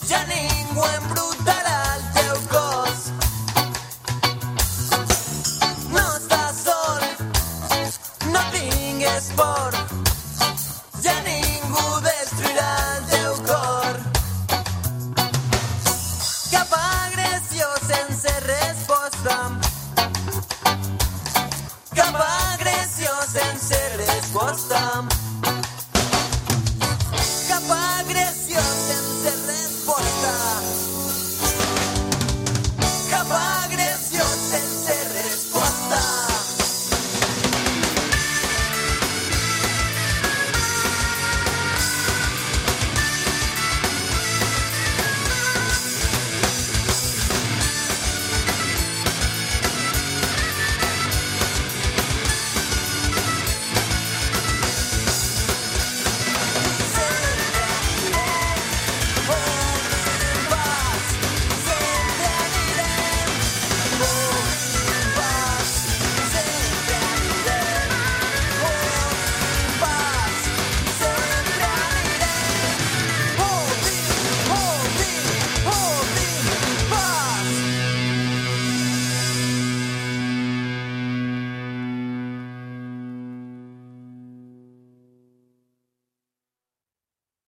Speaker 11: ja ningú em